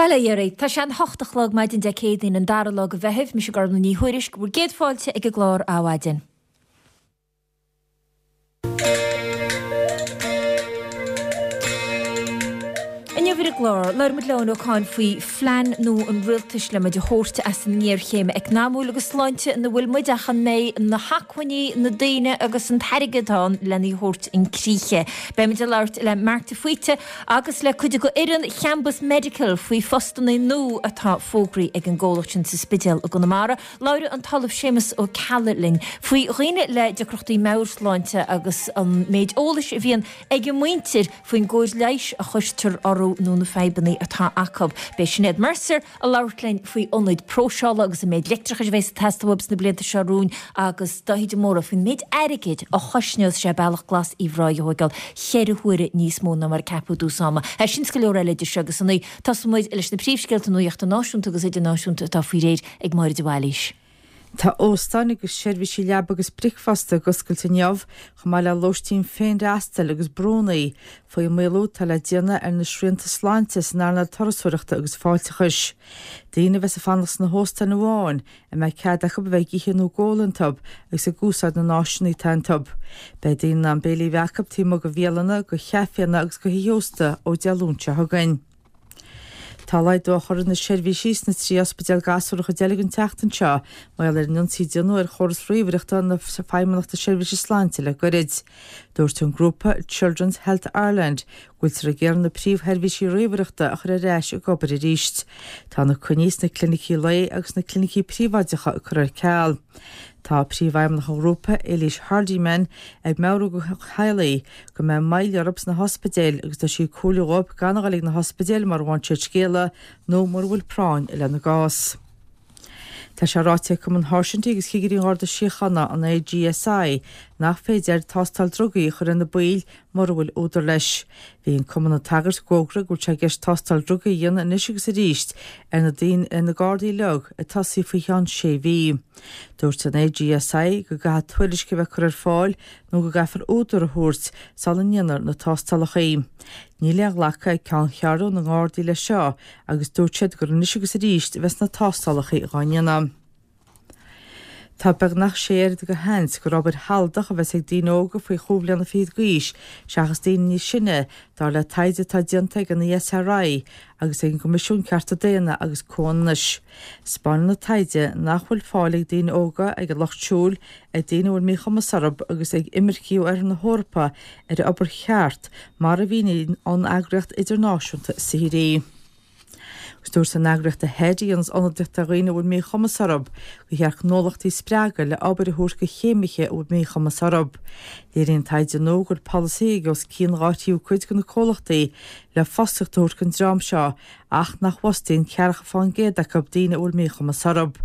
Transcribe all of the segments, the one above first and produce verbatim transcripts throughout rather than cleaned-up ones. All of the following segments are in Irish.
Bail ó Dhia oraibh. Tá sé an hocht a chlog maidin Dé Céadaoin an dara lá de Mheitheamh, mise Gormlaith Ní Thuairisg, bhur gcéad fáilte ag an gclár Adhmhaidin. Inniu ar an gclár, labhróidh muid le Eoin Ó Cadhain faoi phlean nua an rialtais le muid a thabhairt as an ngéarchéim eacnamúil agus sláinte ina bhfuil muid ach an mbeidh na hacmhainní, na daoine agus an t-airgead ann lena thabhairt chun críche. Beidh muid ag labhairt le Mark de Faoite agus le cuid de fhoireann Chambus Medical faoi phostanna nua atá fógraithe ag an gcomhlacht sin sa Spidéal i gConamara. Labhróidh an tOllamh Séamus Ó Ceallaigh linn faoi dhaoine le deacrachtaí meabhairshláinte agus an méid eolais a bhíonn ag a muintir faoin gcóir leighis a chuirtear orthu nó na fadhbanna atá acu. Beidh Sinéad Mercer ag labhairt linn faoi ionaid próiseála agus an méid leictreachais a bheas ag teastáil uathub sna blianta seo romhainn agus Dáithí de Mórdha faoin méid airgid a chosnós sé Bealach Glas Uíbh Ráthaigh a thóigeáil cheithre huaire níos mó ná mar a ceapadh i dtús ama. Sin is go leor eile idir seo agus a naoi. Tosóidh muid leis na príomhscéalta nuachta náisiúnta agus idirnáisiúnta atá faoi réir ag Máire de Bhailís. Tá óstáin agus seirbhísí leaba agus bricfeasta ag oscailt inniu, chomh maith le lóistín féinfhreastail agus brúnna, faoi mhaolú atá le déanamh ar na srianta sláinte san earnáil turasóireachta agus fáilteachais. Daoine a bheas ag fanacht sna hóstáin amháin a mbeidh cead acu a bheith ag ithe nó ag ól iontu agus ag úsáid na n-áiseanna atá iontu. Beidh daoine in ann béilí a bheith acu taobh amuigh de bhialanna, de chaiféanna agus de thithe ósta ó Dé Luain seo chugainn. Tá laghdú á chur ar na seirbhísí sna trí ospidéal gasúr a chuid eile den tseachtain seo mar gheall ar an ionsaí a déanadh ar chóras ríomhaireachta na Feidhmeannachta Seirbhíse Sláinte le goirid. Dúirt an grúpa Children's Health Ireland go bhfuiltear ag iarraidh na príomhsheirbhísí ríomhaireachta a chur ar ais ag obair arís. Tá na coinní sna clinicí lae agus sna clinicí príobháideacha curtha ar ceal. Tá príomhfheidhmeannach an ghrúpa, Eilís Hardiman, ag meabhrú do theaghlaigh go mbeidh moill orthu sna hospidéil agus tá sí ag comhairliú dhóibh gan a dhul ag na hospidéil mura bhfaigheann siad scéala nó mura bhfuil práinn lena gcás. Tá sé ráite ag Cumann Sháirsintí agus Chigirí an Gharda Síochána, an AGSI, nach féidir tástáil drugaí a chur ar na baill mura bhfuil údar leis. Bhí an cumann ag tagairt d'fhógra go bhfuil sé i gceist tástáil drugaí a dhéanamh anois agus arís ar na daoine, ar na Gardaí uilig, ag tosaí faoi cheann sé mhí. Dúirt an AGSI go gcaithfidh tuairisc a bheith curtha ar fáil nó go gcaithfear údar a thabhairt sula ndéanfar na tástálacha. Níl aon ghlacadh ag Ceanncheathrú na nGardaí leis seo agus dúirt siad gur anois agus arís a bheas na tástálacha dhá ndéanamh. Tá beagnach sé oiread de sheans gur obair shealadach a bheas ag daoine óga faoi chúig bhliana fichead d'aois seachas daoine níos sine, dar le taighde atá déanta ag an ESRI agus ag an gCoimisiún Cearta Daonna agus Comhionannais. 'Spáineann an taighde nach bhfuil fáil ag daoine óga, ag an lucht siúil, ag daoine a bhfuil míchumas orthu agus ag imircigh ó oirthear na hEorpa ar obair cheart mar a mhíníonn an eagraíocht idirnáisiúnta saothair í. Agus dúirt an eagraíocht Ahead, a dhéanas ionadaíocht ar dhaoine a bhfuil míchumas orthu, gur cheart gnólachtaí a spreagadh le obair a thabhairt do chéimithe a bhfuil míchumas orthu. Léiríonn taighde nua go bhfuil polasaithe ag os cionn dhá thríú cuid de na comhlachtaí le fostaíocht a thabhairt don dream seo ach nach bhfostaíonn ceathracha fán gcéad acu daoine a bhfuil míchumas orthu.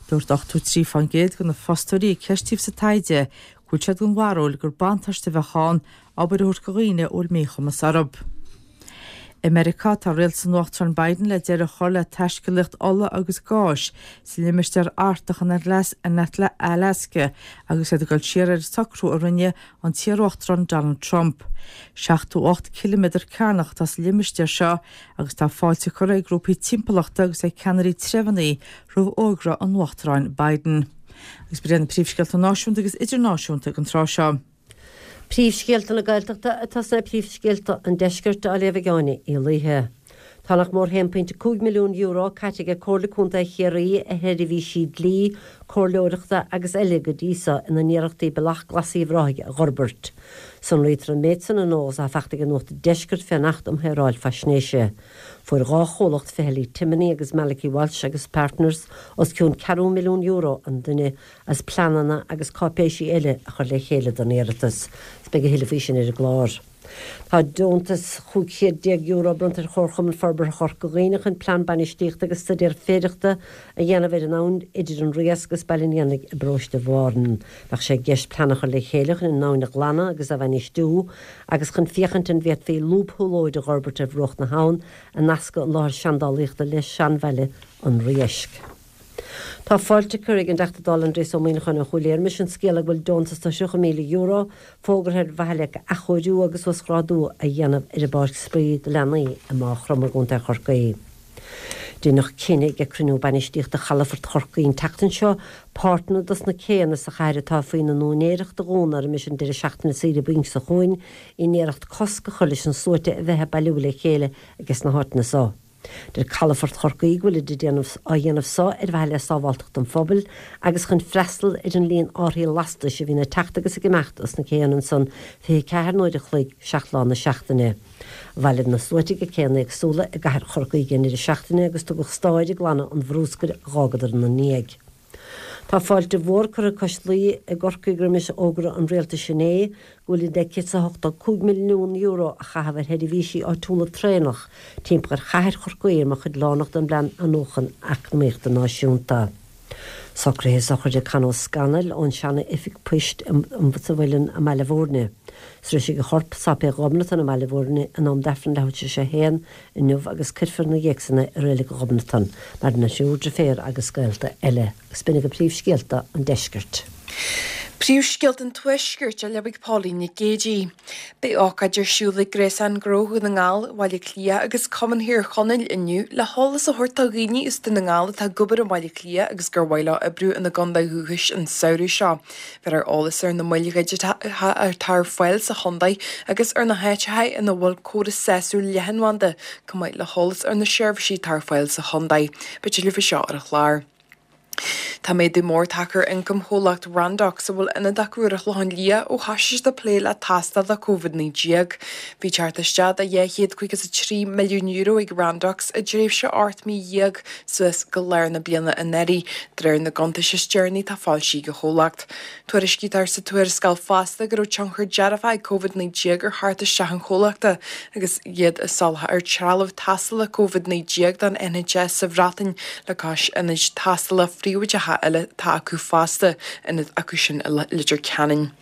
Dúirt ochtó trí fán gcéad de na fostóirí a ceistíodh sa taighde go bhfuil siad den bharúil gur buntáiste a bheadh ann obair a thabhairt do dhaoine a bhfuil míchumas orthu. I Meiriceá, tá rialtas an Uachtaráin Biden le deireadh a chur le taiscéalaíocht ola agus gáis sa limistéar Artach in Alasca agus iad ag dul siar ar an socrú a rinne an t-iarUachtarán Donald Trump. seachtó ocht ciliméadar cearnach atá sa limistéar seo agus tá fáilte curtha ag grúpaí timpeallachta agus ag ceannairí treibheanna roimh fhógra an Uachtaráin Biden. Agus b'in iad na príomhscéalta náisiúnta agus idirnáisiúnta ag an tráth seo. Príomhscéalta na Gaeltachta atá sna príomhscéalta an Deiscirt á léamh ag Áine Uí Laoithe. Tá nach mór haon pointe cúig milliún euro caite ag Comhairle Contae Chiarraí ar sheirbhísí dlí, comhairleoireachta agus eile go dtí so ina n-iarrachtaí Bealach Glas Uíbh Ráthaigh a dh'fhorbairt. Sonraítear an méid san in eolas atá faighte ag Nuacht an Deiscirt fén Acht um Shaoráil Faisnéise. Fuair dhá chomhlacht Fehily Timoney agus Malachy Walsh agus Partners os cionn ceathrú milliún euro an duine as pleananna agus cáipéisí eile a chur le chéile don iarratas. Is beidh a thuilleadh faoi sin ar an gclár. Tá deontas chúig chéad déag euro bronnta ar Chomharchumann Forbartha Chorca Dhuibhne chun plean bainistíochta agus staidéar féidearthachta a dhéanamh ar an abhainn idir an Riasc agus Baile an Éanaigh i bparóiste Bhárna. Bheadh sé i gceist plean a chur le chéile chun an abhainn a ghlanadh agus a bhainistiú agus chun féachaint an bhféadfaí lúbshiúlóid a dh'fhorbairt ar bhruach na habhann a nascfadh an láthair seandálaíochta le seanbhaile an Riaisc. Tá fáilte curtha ag an dTeachta Dála Aindrias Ó Muimhneacháin ó Chúil Aodha roimis an scéala go bhfuil deontas de thríocha míle euro fógartha ar mhaithe le athchóiriú agus uasghrádú a dhéanamh ar an bpáirc spraoi do leanaí i Maigh Chromtha i gContae Chorcaí. Deineadh cinneadh ag cruinniú bainistíochta Chalafort Chorcaí an tseachtain seo páirteanna dos na céanna sa chathair atá faoina n-úinéireacht a dhúnadh roimis an deireadh seachtaine saoire bainc seo chugainn in iarracht cosc a chur leis an sluaite a bheith ag bailiú le chéile ages na háiteanna so. Deir Calafort Chorcaí go bhfuil déanamh á dhéanamh so ar mhaithe le sábháilteacht an phobail agus chun freastal ar an líon árthaí lastais a bhíonn ag teacht agus ag imeacht as na céanna ansan fiche ceathair n-uair a chloig seacht lá na seachtaine. Bhailigh na sluaite ag céanna éagsúla i gcathair Chorcaí an deireadh seachtaine agus tugadh stáid ag glanadh an bhrúscair a d'fhágadar ina ndiaidh. Tá fáilte mhór curtha cois Laoi i gCorcaigh roimis fhógra an rialtais inné go bhfuil deich céad is a hochtó cúig milliún euro a chaitheamh ar sheirbhísí áitiúla traenach timpeall ar chathair Chorcaí mar chuid lárnach den bplean athnuachan eacnamaíochta náisiúnta. Socruithe sochraide Con Ó Scanaill ón sean-oifig poist sa Mhuileann i mBaile Bhúirne. Sroichfidh a chorp Sáipéal Ghobnatan i mBaile Bhúirne in am d'Aifreann leathuair tar éis a haon inniu agus cuirfear ina dhiaidh san é i Reilig Ghobnatan mar na triúr deirféar agus gaolta eile. Agus b'in agaibh príomhscéalta an deiscirt. Príomhscéalta an Tuaiscirt á léamh ag Pauline Nic Géadaigh. Beidh ócáid ar siúl ag Gréasán Gnó Dhún na nGall, Bhaile Átha Cliath agus Cumann Thír Chonaill inniu le heolas a thabhairt do dhaoine as Dún na nGall atá ag obair i mBaile Átha Cliath agus gur mhaith leo oibriú ina gcontae dhúchais an samhradh seo. Beifear ar eolas ar na moil dhigiteacha atá ar fáil sa chontae agus ar na háiteacha ina bhfuil córas sásúil leathanbhanda, chomh maith le heolas ar na seirbhísí atá ar fáil sa chontae. Beidh tuilleadh faoi seo ar an chlár. Tá méadú mór tagtha ar ioncam chomhlacht Randox a bhfuil ionad acu ar an Chlochán Liath ó thosaigh siad ag plé le tástáil Covid naoi déag. Bhí teacht isteach de dhá chéad caoga is a trí milliún euro ag Randox i dtréimhse ocht mí dhéag suas go lár na bliana anuraidh, de réir na gcuntas is deireanaí atá foilsithe ag an chomhlacht. Tuairiscítear sa tuarascáil fosta go raibh tionchar dearfach ag Covid naoi déag ar theacht isteach an chomhlachta agus iad ag soláthar trealamh tástála Covid naoi déag don N H S sa Bhreatain le cois ionaid tástála phríobháideacha eile atá acu fosta, ionad acu sin i Leitir Ceanainn.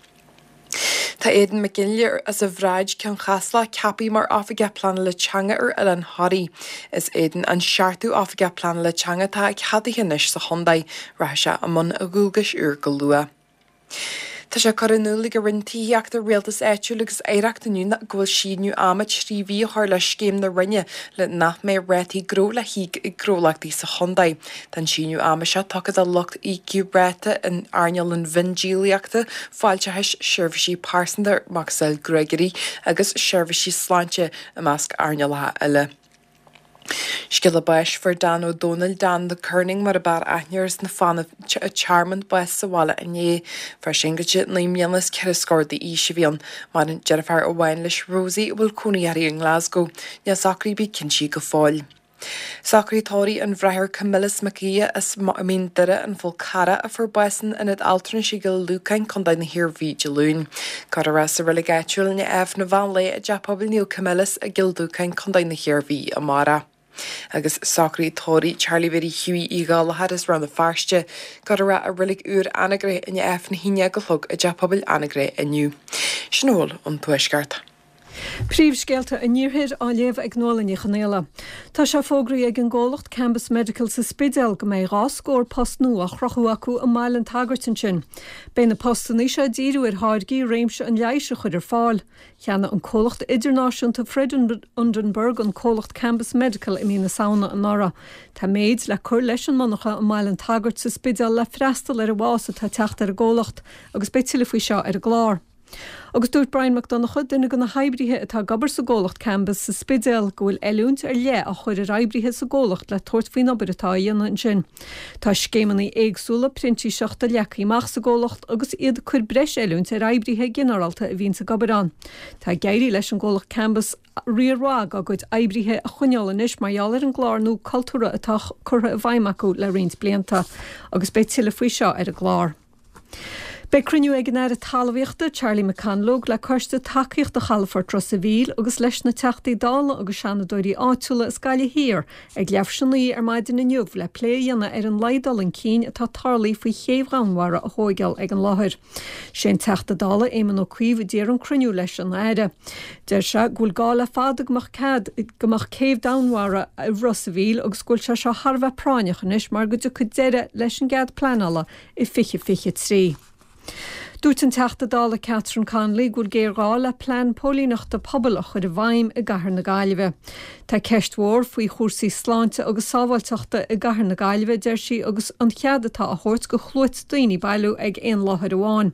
Tá Aidan McGinley as an Bhráid Ceann Caslach ceaptha mar oifigeach pleanála teanga ar Oileán Thoraí. Is Aidan an seachtú oifigeach pleanála teanga atá ceadaithe anois sa chontae, rachaidh sé i mbun a dhualgais úr go luath. Tá sé curtha in iúl ag an Roinn Tithíochta Rialtas Áitiúil agus Oidhreachta inniu go bhfuil síneadh ama trí mhí a chur le scéim na Roinne le nach mbeidh rátaí gnó le híoc ag gnólachtaí sa chontae. Tá an síneadh ama seo tugtha do lucht íocaí ráta in earnáil an mhiondíolaíochta, fáilteachais, seirbhísí pearsanta macasamhail gruagairí agus seirbhísí sláinte i measc earnálacha eile. Scéala báis fuair Dan Ó Dónaill Dan the Kerning mar a b'fhearr aithne air as na Fánaid Tearmann bás sa bhaile inné. Fear singilte naoi mbliana is ceithre scór d'aois a bhí ann. Maireann deirfiúr amháin leis Rosie a bhfuil cónaí uirthi i nGlasgow. Níl socruithe ar bith cinntithe go fóill. Socruithe tórraimh an Bhráthar Camillus Mac Aodha as Mín Doire an Fhál Carrach a fuair bás in ionad altranais i gCill Lúcáin, Contae na hIarmhí Dé Luain. Cuirfear é sa reilig áitiúil i ndiaidh Aifreann an mheán lae i dTeach Pobail Naomh Camillus i gCill Lúcáin, Contae na hIarmhí amárach. Agus socruithe tórraimh Charlie Mhary Hughie Uí Ghallchóir as Rann na Feirste, cuirfear é i reilig úr Anagaire i ndiaidh Aifreann a haon déag a chlog i dTeach Pobail Anagaire inniu. Sin a bhfuil ón Tuaisceart. Príomhscéalta an Iarthair á léamh ag Nuala Ní Chonaola. Tá sé fógraithe ag an gcomhlacht Cambus Medical sa Spidéal go mbeidh dhá scór post nua á chruthú acu i mBaile an tSagairt ansin. Beidh na postanna seo ag díriú ar tháirgí réimse an leighis a chur ar fáil. Cheannaigh an comhlacht idirnáisiúnta Freudenberg an comhlacht Cambus Medical i mí na Samhna anuraidh. Tá méid le cur leis an monarcha i mBaile an tSagairt sa Spidéal le freastal ar an bhfás atá ag teacht ar an gcomhlacht, agus beidh tuilleadh faoi seo ar an gclár. Agus dúirt Brian Mac Donncha, duine de na hoibrithe atá ag obair sa gcomhlacht Cambus sa Spidéal, go bhfuil oiliúint ar leith á chur ar oibrithe sa gcomhlacht le tabhairt faoin obair atá á dhéanamh ansin. Tá scéimeanna éagsúla printíseachta leagtha amach sa gcomhlacht agus iad ag cur breis oiliúint ar oibrithe ginearálta a bhíonns ag obair ann. Tá ag éirí leis an gcomhlacht Cambus riar mhaith dá gcuid oibrithe a choinneáil anois mar gheall ar an gclár nua cultúrtha atá curtha i bhfeidhm acu le roinnt blianta, agus beidh tuilleadh faoi seo ar an gclár. Beidh cruinniú ag an Aire Talmhaíochta Charlie McConalogue le coiste tacaíochta Chalafort Ros an Mhíl agus leis na Teachtaí Dála agus Seanadóirí áitiúla as Gaillimh Thiar ag leathuair tar éis a naoi ar maidin inniu le plé a dhéanamh ar an laghad dul chun cinn atá tarlaithe faoi chéibh Dhomhanmhara a thóigeáil ag an láthair. Sé an Teachta Dála Éamon Ó Cuív a d'iarr an cruinniú leis an Aire. Deir sé go bhfuil gá le fada go mbeadh cead go mbeadh céibh Dhomhanmhara i Ros an Mhíl agus go bhfuil sé seo thar a bheith práinneach anois mar go dtiocfaidh deireadh leis an gcead pleanála i fiche fiche trí. Dúirt an Teachta Dála Catherine Connolly go bhfuil géarghá le plean póilíneachta pobail a chur i bhfeidhm i gcathair na Gaillimhe. Tá ceist mhór faoi chúrsaí sláinte agus sábháilteachta i gcathair na Gaillimhe, deir sí, agus an cead atá á thabhairt go shluaite daoine bailiú ag aon láthair amháin.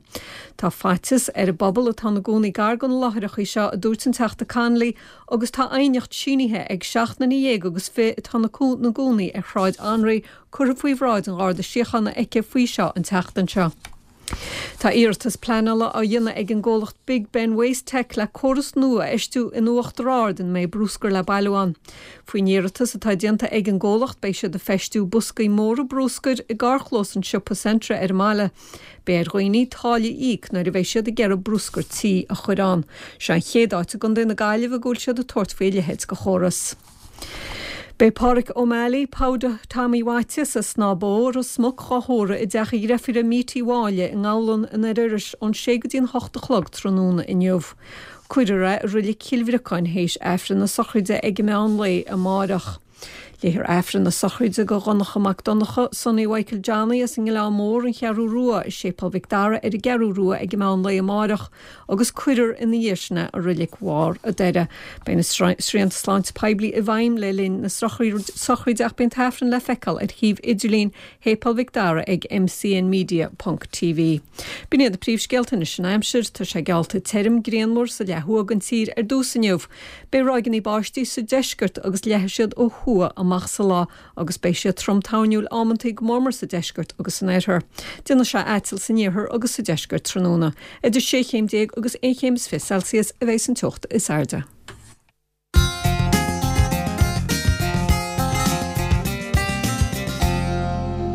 Tá faitíos ar an bpobal atá ina gcónaí gar do na láithreacha seo, a dúirt an Teachta Connolly, agus tá aighneacht sínithe ag seacht nduine dhéag agus fiche atá ina gcónaí ar Shráid Anraí curtha faoi bhráid an Gharda Síochána aici faoi seo an tseachtain seo. Tá iarratas pleanála á dhéanamh ag an gcomhlacht Big Ben Waste Tech le córas nua a fheistiú in Uachtar Ard ina mbeidh bruscar le bailiú ann. Faoin iarratas atá déanta ag an gcomhlacht beidh siad ag feistiú boscaí móra bruscair i gcarrchlós an siopa Centra ar an mbaile. Beidh ar dhaoine táille a íoc nuair a bheidh siad ag iarraidh bruscar tí a chur ann. Seo an chéad áit i gContae na Gaillimhe go bhfuil siad ag tabhairt faoi a leithéid de chóras. Beidh Páraic O'Malley, Powder Tommy Mhaitias as Snáth Bó, Ros Muc dhá thórramh i dteach a dhreifire Míti Mháille i nGabhlan in Oir Iorrais ón sé go dtí an hocht a chlog tráthnóna inniu. Cuirfear é i Reilig Chill Bhriocáin théis Aifreann na sochraide ag meán lae amárach. Léifear Aifreann na sochraide do Dhonncha Mac Donncha, Sonny Mhichael Johnny as an nGleann Mór, an Cheathrú Rua, i Séipéal Mhic Dara ar an gCeathrú Rua ag meán lae amárach agus cuirfear ina dhiaidh sin é i Reilig Bharr an Doire. Beidh na srianta sláinte poiblí i bhfeidhm le linn na sochraide ach beidh an t-aifreann le feiceáil ar shuíomh idirlín Shéipéal Mhic Dara ag mcnmedia ponc tv. B'in iad na príomhscéalta anois an aimsir, tá sé geallta tirim grianmhar sa leath thuaidh den tír ar dtús inniu. Beidh ráigeanna báistí sa deisceart agus leathfaidh siad ó thuaidh amach sa lá agus beidh siad trom toirniúil amantaí go mórmór sa deisceart agus san oirthear. Déanfaidh sé aiteal san iarthar agus sa deisceart tráthnóna. Idir sé chéim déag agus aon chéim is fiche Celsius a bheidh an teocht is airde.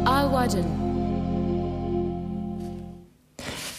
Adhmhaidin.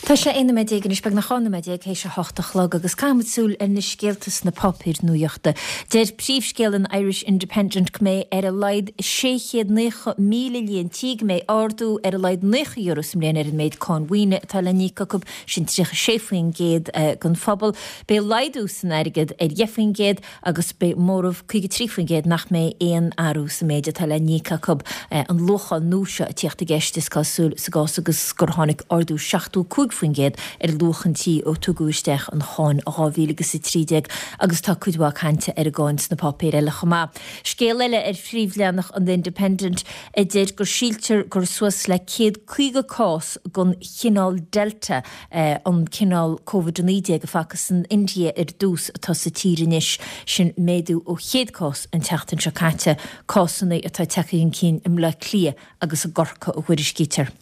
Tá sé aon nóiméad déag anois, beagnach dhá nóiméad déag théis a hocht a chlog agus caithfimid súil ar na scéalta sna páipéir nuachta. Deir príomhscéal an Irish Independent go mbeidh ar a laghad sé chéad naocha míle líon tí go mbeidh ardú ar a laghad naocha euro sa mbliain ar an méid cáin mhaoine atá le n-íoc acu, sin tríocha sé faoin gcéad den phobal. Beidh laghdú san airgead ar dheich faoin gcéad agus beidh móramh caoga trí faoin gcéad nach mbeidh aon athrú sa méid atá le n-íoc acu. An luacháil nua seo ag tíocht i gceist is cosúil sa gcás agus gur tháinig ardú seachtó cúig faoin gcéad ar luach an tí ó tugadh isteach an cháin dhá mhíle agus a trí déag agus tá cuid mhaith cainte ar an gcáin sna páipéir eile chomh maith. Scéal eile ar phríomhleathanach an The Independent a deir gur síltear gur suas le céad caoga cás den chineál Delta, an cineál Covid a naoi déag a facthas san India ar dtús, atá sa tír anois. Sin méadú ó chéad cás an tseachtain seo caite, cásanna atá tagtha chun cinn i mBleá Cliath agus i gCorcaigh a thuairiscítear.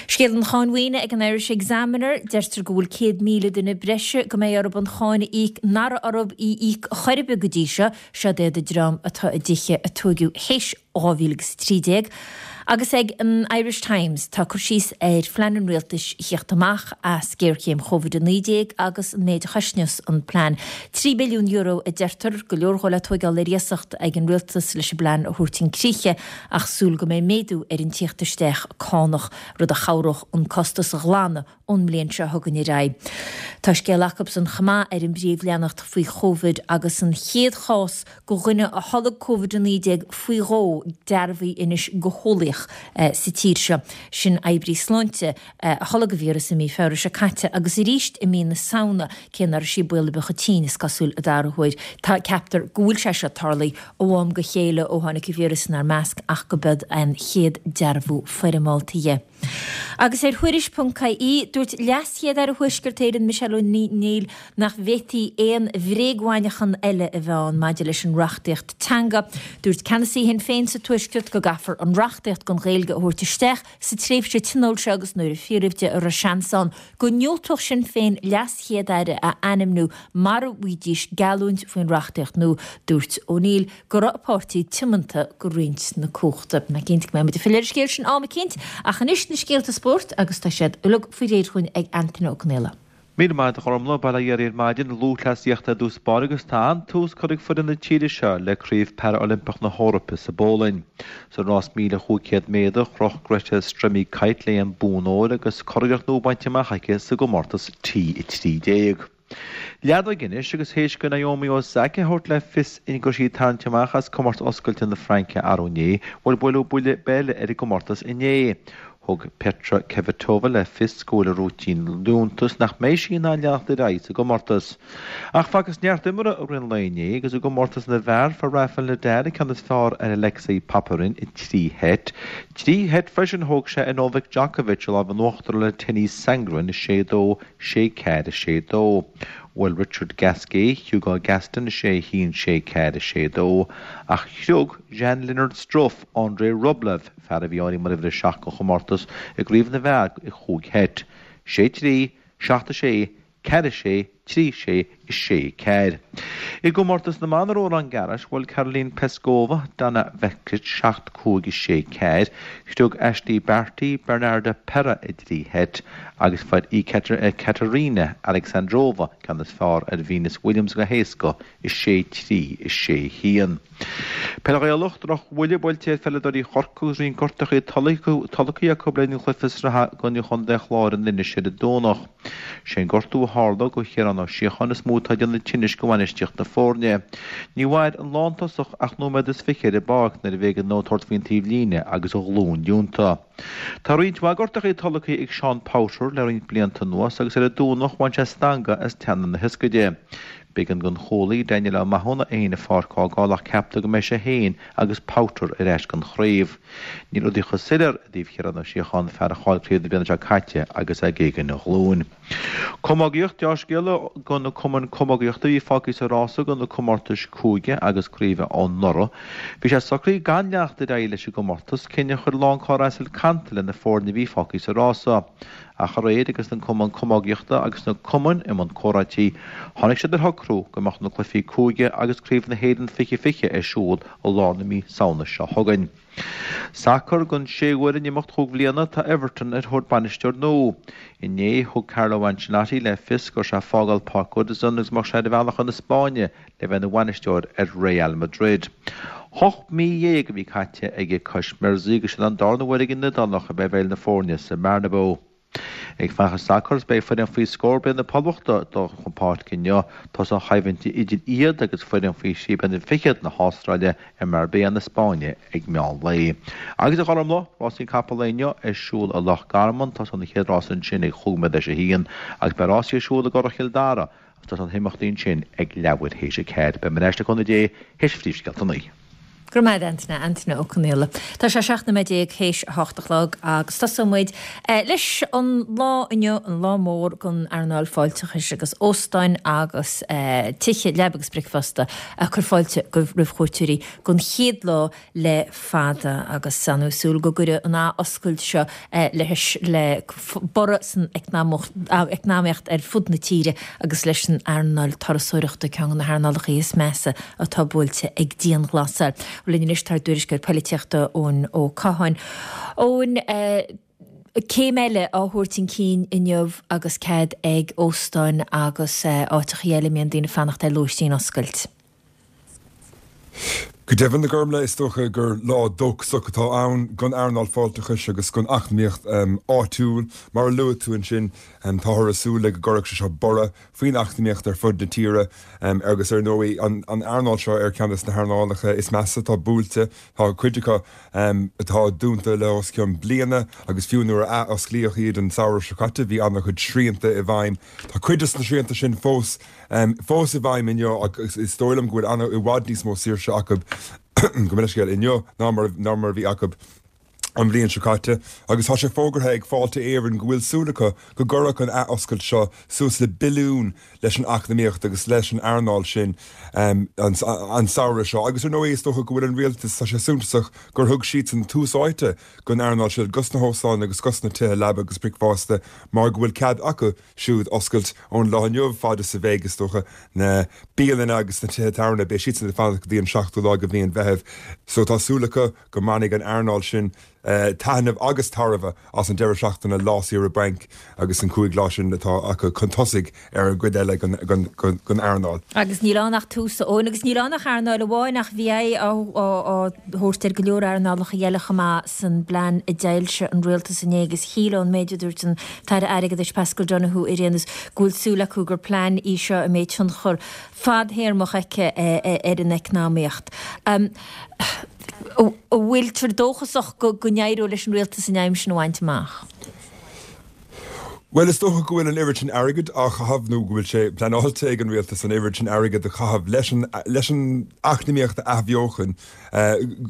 Scéal an cháin mhaoine ag an Irish Examiner, deirtear go bhfuil céad míle duine breise go mbeidh orthu an cháin a íoc nach raibh orthu í íoc chor ar bith go dtí seo, seod iad an dream atá i dtithe a tóigeadh théis dhá mhíle agus a trí déag. Agus ag an Irish Times tá cur síos ar phlean an rialtais theacht amach as géarchéim Covid a naoi déag agus an méid a chosnós an plean. Trí billiún euro a deirtear, go leor dhó le tóigeáil ar iasacht ag an rialtas leis an bplean a thabhairt chun críche ach súil go mbeidh méadú ar an tíocht isteach cánach, rud a chabhródh an costas a ghlanadh ón mbliain seo chugainn ar aghaidh. Tá scéal acusan chomh maith ar an bpríomhleathanach faoi Chovid agus an chéad chás de dhuine a tholg Covid a naoi déag faoi dhó dearbhaithe anois go heolaíoch sa tír seo. Sin oibrí sláinte a tholg an víreas i mí Feabhra seo caite agus arís i mí na Samhna, cé nach raibh sí baol ar bith chomh tinn, is cosúil, an dara huair. Tá, ceaptar go bhfuil sé seo tarlaithe ó am go chéile ó tháinig an víreas inár measc ach go b'iod an chéad dearbhú foirmeálta dhe. Agus ar Thuairisc ponc ie, dúirt LeasChéad-Aire Thuaisceart Éireann Michelle O'Neill nach bhféadfaí aon bhréagmhainneachan eile a bheith ann maidir leis an reachtaíocht teanga. Dúirt ceannasaí Shinn Féin sa Tuaisceart go gcaithfear an reachtaíocht don Ghaeilge a thabhairt isteach sa tréimhse tionóil seo agus nuair a fiafraíodh de an raibh seans ann go ndiúltódh Sinn Féin LeasChéad-Aire a ainmniú mara bhfaighidís geallúint faoin reachtaíocht nua, dúirt O'Neill go raibh a páirtí tiomanta go roinnt na cumhachta. Ná cinnte go mbeidh muid ag filleadh ar an scéal sin am eicínt, ach anois na scéalta spóirt agus tá siad uilig faoi réir chugainn ag Antaine Ó Conaola. Míle maith agat a Ghormfhlaith, bail ó Dhia oraibh ar maidin, lúthchleasaíocht ar dtús báire agus tá an-tús curtha ag foireann na tíre seo le Craobh Para-Oilimpeach na hEorpa sa bPólainn. Sa rás míle chúig chéad méadar, chroch Greta Stremikait léi an bonn óir agus curiarracht nua bainte amach aici sa gcomórtas T a trí déag. Leadóg anois agus théis do Naomi Osaka a thabhairt le fios go raibh sí ag tarraingt amach as Comórtas Oscailte na Fraince arú inné, bhuel buaileadh buille eile ar an gcomórtas inné. Thug Petra Kvitova le fios go bhfuil a rúitín liúntas nach mbeidh sí in ann leanacht ar aghaidh sa gcomórtas. Ach facthas neart imeartha i rith an lae inné agus i gcomórtas na bhfear fuair Rafael Nadal an ceann is fearr ar Alexei Popyrin i dtrí sheit. Trí sheit freisin a thóg sé ar Novak Djokovic a lámh in uachtar le Tennys Sandgren, a sé dó, sé ceathair, a sé dó. Bhuail Richard Gasquet Hugo Gaston a sé a haon, sé ceathair, a sé dó, ach chriog Jan-Lennard Struff Andrei Rublev, fear a bhí áirithe mar uimhir a seacht den chomórtas i gcraobh na bhfear i chúig sheit, sé trí, seacht a sé, ceathair a sé, trí sé, a sé ceathair. I gcomórtas na mban i Roland Garros, bhuail Karolina Pliskova Donna Vekic seacht cúig, a sé ceathair, chriog Ashleigh Barty Bernarda Pera i dtrí sheit, agus fuair Ekaterina Alexandrova ceann is fearr ar Venus Williams go héasca, a sé trí, a sé haon. Peil Ghaelach, Drochbhuille buailte ar pheileadóirí Chorcaí agus roinnt gortachaí tolgtha acu le linn an chluiche sraithe i gcoinne Chontae an Chláir in Inis ar an Domhnach. Sé an gortú a tharla do Chiarán Ó Síocháin is mó atá ag déanamh tinnis do bhainistíocht na foirne. Ní mhair an lántosach ach nóiméad is fiche ar an bpáirc nuair a b'éigean dó tabhairt faoin taobhlíne agus a ghlúin leonta. Tá roinnt mhaith gortachaí tolgtha ag Seán Powter le roinnt blianta anuas agus ar an Domhnach bhain sé stangadh as teannán na hioscaide. B'éigean don chúlaí Daniel Ó Mathúna é féin an pháirc a fhágáil ach ceaptar go mbeidh sé féin agus Powter ar ais don chraobh. Níl rudaí chomh soiléir i dtaobh Chiarán Ó Síocháin, fear a chaill craobh na bliana seo caite agus é ag éagan a ghlúin. Camógaíocht, Deá-scéala do na cumainn camógaíochta a bhí fágtha sa rása do na comórtais cúige agus craoibhe anuraidh. Bhí sé socraithe gan leanacht ar aghaidh leis an gcomórtas, cinneadh a chuir a lán cairde as le na foirne a bhí fágtha sa rása. Ach aréir agus an Cumann Camógaíochta agus na cumainn i mbun comhráití, tháinig siad ar shocrú go mbeadh na cluichí cúige agus Craobh na hÉireann fiche fiche ar siúl i lár na mí Samhna seo chugainn. Sacar, Don séú huair in imeacht chúig bhliana tá Everton ar thóir bainisteoir nua. Inné thug Carlo Ancelotti le fios go raibh sé ag fágáil Páirc Goodison agus go mbeadh sé ar a bhealach chun na Spáinne le bheith ina bhainisteoir ar Real Madrid. Ocht mí dhéag a bhí caite aige cois Mersey agus sin an darna huair ag an Iodálach a bheith i bhfeighil na foirne sa mBernabeu. Ag fanacht sa sacar, beidh foireann faoi scór bliana na Poblachta ag dul chun páirce inniu. Tosóidh an choimhlint idir iad agus foireann faoi thrí bliana fichead na hAstráile i Marbella na Spáinne ag meán lae. Agus a Ghormfhlaith, rásaí capall lae inniu ar siúl i Loch Garman, tosóidh an chéad rás ansin ag chúig nóiméad théis a haon agus beidh rásaí ar siúl i gCurrach Chill Dara agus tosóidh na himeachtaí ansin ag leathuair théis a ceathair. Beidh mé ar ais le cúnamh Dé théis phríomhscéalta a naoi. Go raibh maith agat, Antaine, Antaine Ó Conaola. Tá sé seacht nóiméad déag théis a hocht a chlog agus tosóidh muid leis an lá inniu, an lá mór don earnáil fáilteachais agus óstáin agus tithe leaba agus bricfeasta ag cur fáilte roimh chuairteoirí don chéad lá le fada agus an súil go gcuirfidh an athoscailt seo leis le borradh san eacnamaíocht ar fud na tíre agus leis an earnáil turasóireachta, ceann de na hearnálacha is measa atá buailte ag dianghlasáil. Linn anois tá ár dtuairisceoir polaitíochta Eoin Ó Catháin. Eoin, céim eile á thabhairt chun cinn inniu agus cead ag óstáin agus áiteacha eile a mbíonn daoine ag fanacht ar lóistín oscailt. Go deimhin, a Ghormfhlaith, is dócha gur lá dóchasach atá ann don earnáil fáilteachais agus don eacnamaíocht áitiúil. Mar a luaigh tú ansin, táthar ag súil le go gcuirfeadh sé seo borradh faoin eacnamaíocht ar fud na tíre agus ar ndóigh an earnáil seo ar ceann de na hearnálacha is measa atá buailte. Tá cuid acu atá dúnta le os cionn bliana agus fiú nuair a athosclaíodh iad an samhradh seo caite bhí an-chuid srianta i bhfeidhm. Tá cuid de na srianta sin fós fós i bhfeidhm inniu agus is dóigh liom go bhfuil i bhfad níos mó saoirse acu gabh mo leithscéal inniu ná mar ná mar a bhí acu an bhliain seo caite agus tá sé fógartha ag Fáilte Éireann go bhfuil súil acu go gcuirfeadh an athoscailt seo suas le billiún leis an eacnamaíocht agus leis an earnáil sin an an samhradh seo. Agus ar ndóigh is dócha go bhfuil an rialtas tá sé suntasach gur thug siadsan tús áite don earnáil seo dos na hóstáin agus dos na tithe leaba agus bricfeasta mar go bhfuil cead acu siúd oscailt ón lá inniu fad is a bheidh is dócha na bialanna agus na tithe tábhairne beidh siadsan ag fanacht go dtí an seachtú lá de mhí an Mheithimh. So tá súil acu go mbainfidh an earnáil sin taitneamh agus tairbhe as an deireadh seachtaine lá saoire bainc agus an cúig lá sin atá acu chun tosaigh ar an gcuid eile den earnáil. Agus níl ann ach tús, a Eoin, agus níl ann ach earnáil amháin ach bhí aghaidh á thabhairt ar go leor earnálacha eile chomh maith san bplean a d'fhoilsigh an rialtas inné agus shíl ón méid a dúirt an tAire Airgeadais Paschal Donohoe ar aon nós go bhfuil súil acu gur plean í seo a mbeidh tionchar fadthéarmach aici ar an eacnamaíocht. An bhfuiltear dóchasach go n-éireoidh leis an rialtas an aidhm sin a bhaint amach? Bhuel, is dócha go bhfuil an oiread sin airgid á chaitheamh nó go bhfuil sé pleanáilte ag an rialtas an oiread sin airgid a chaitheamh leis an leis an eacnamaíocht a athbheochan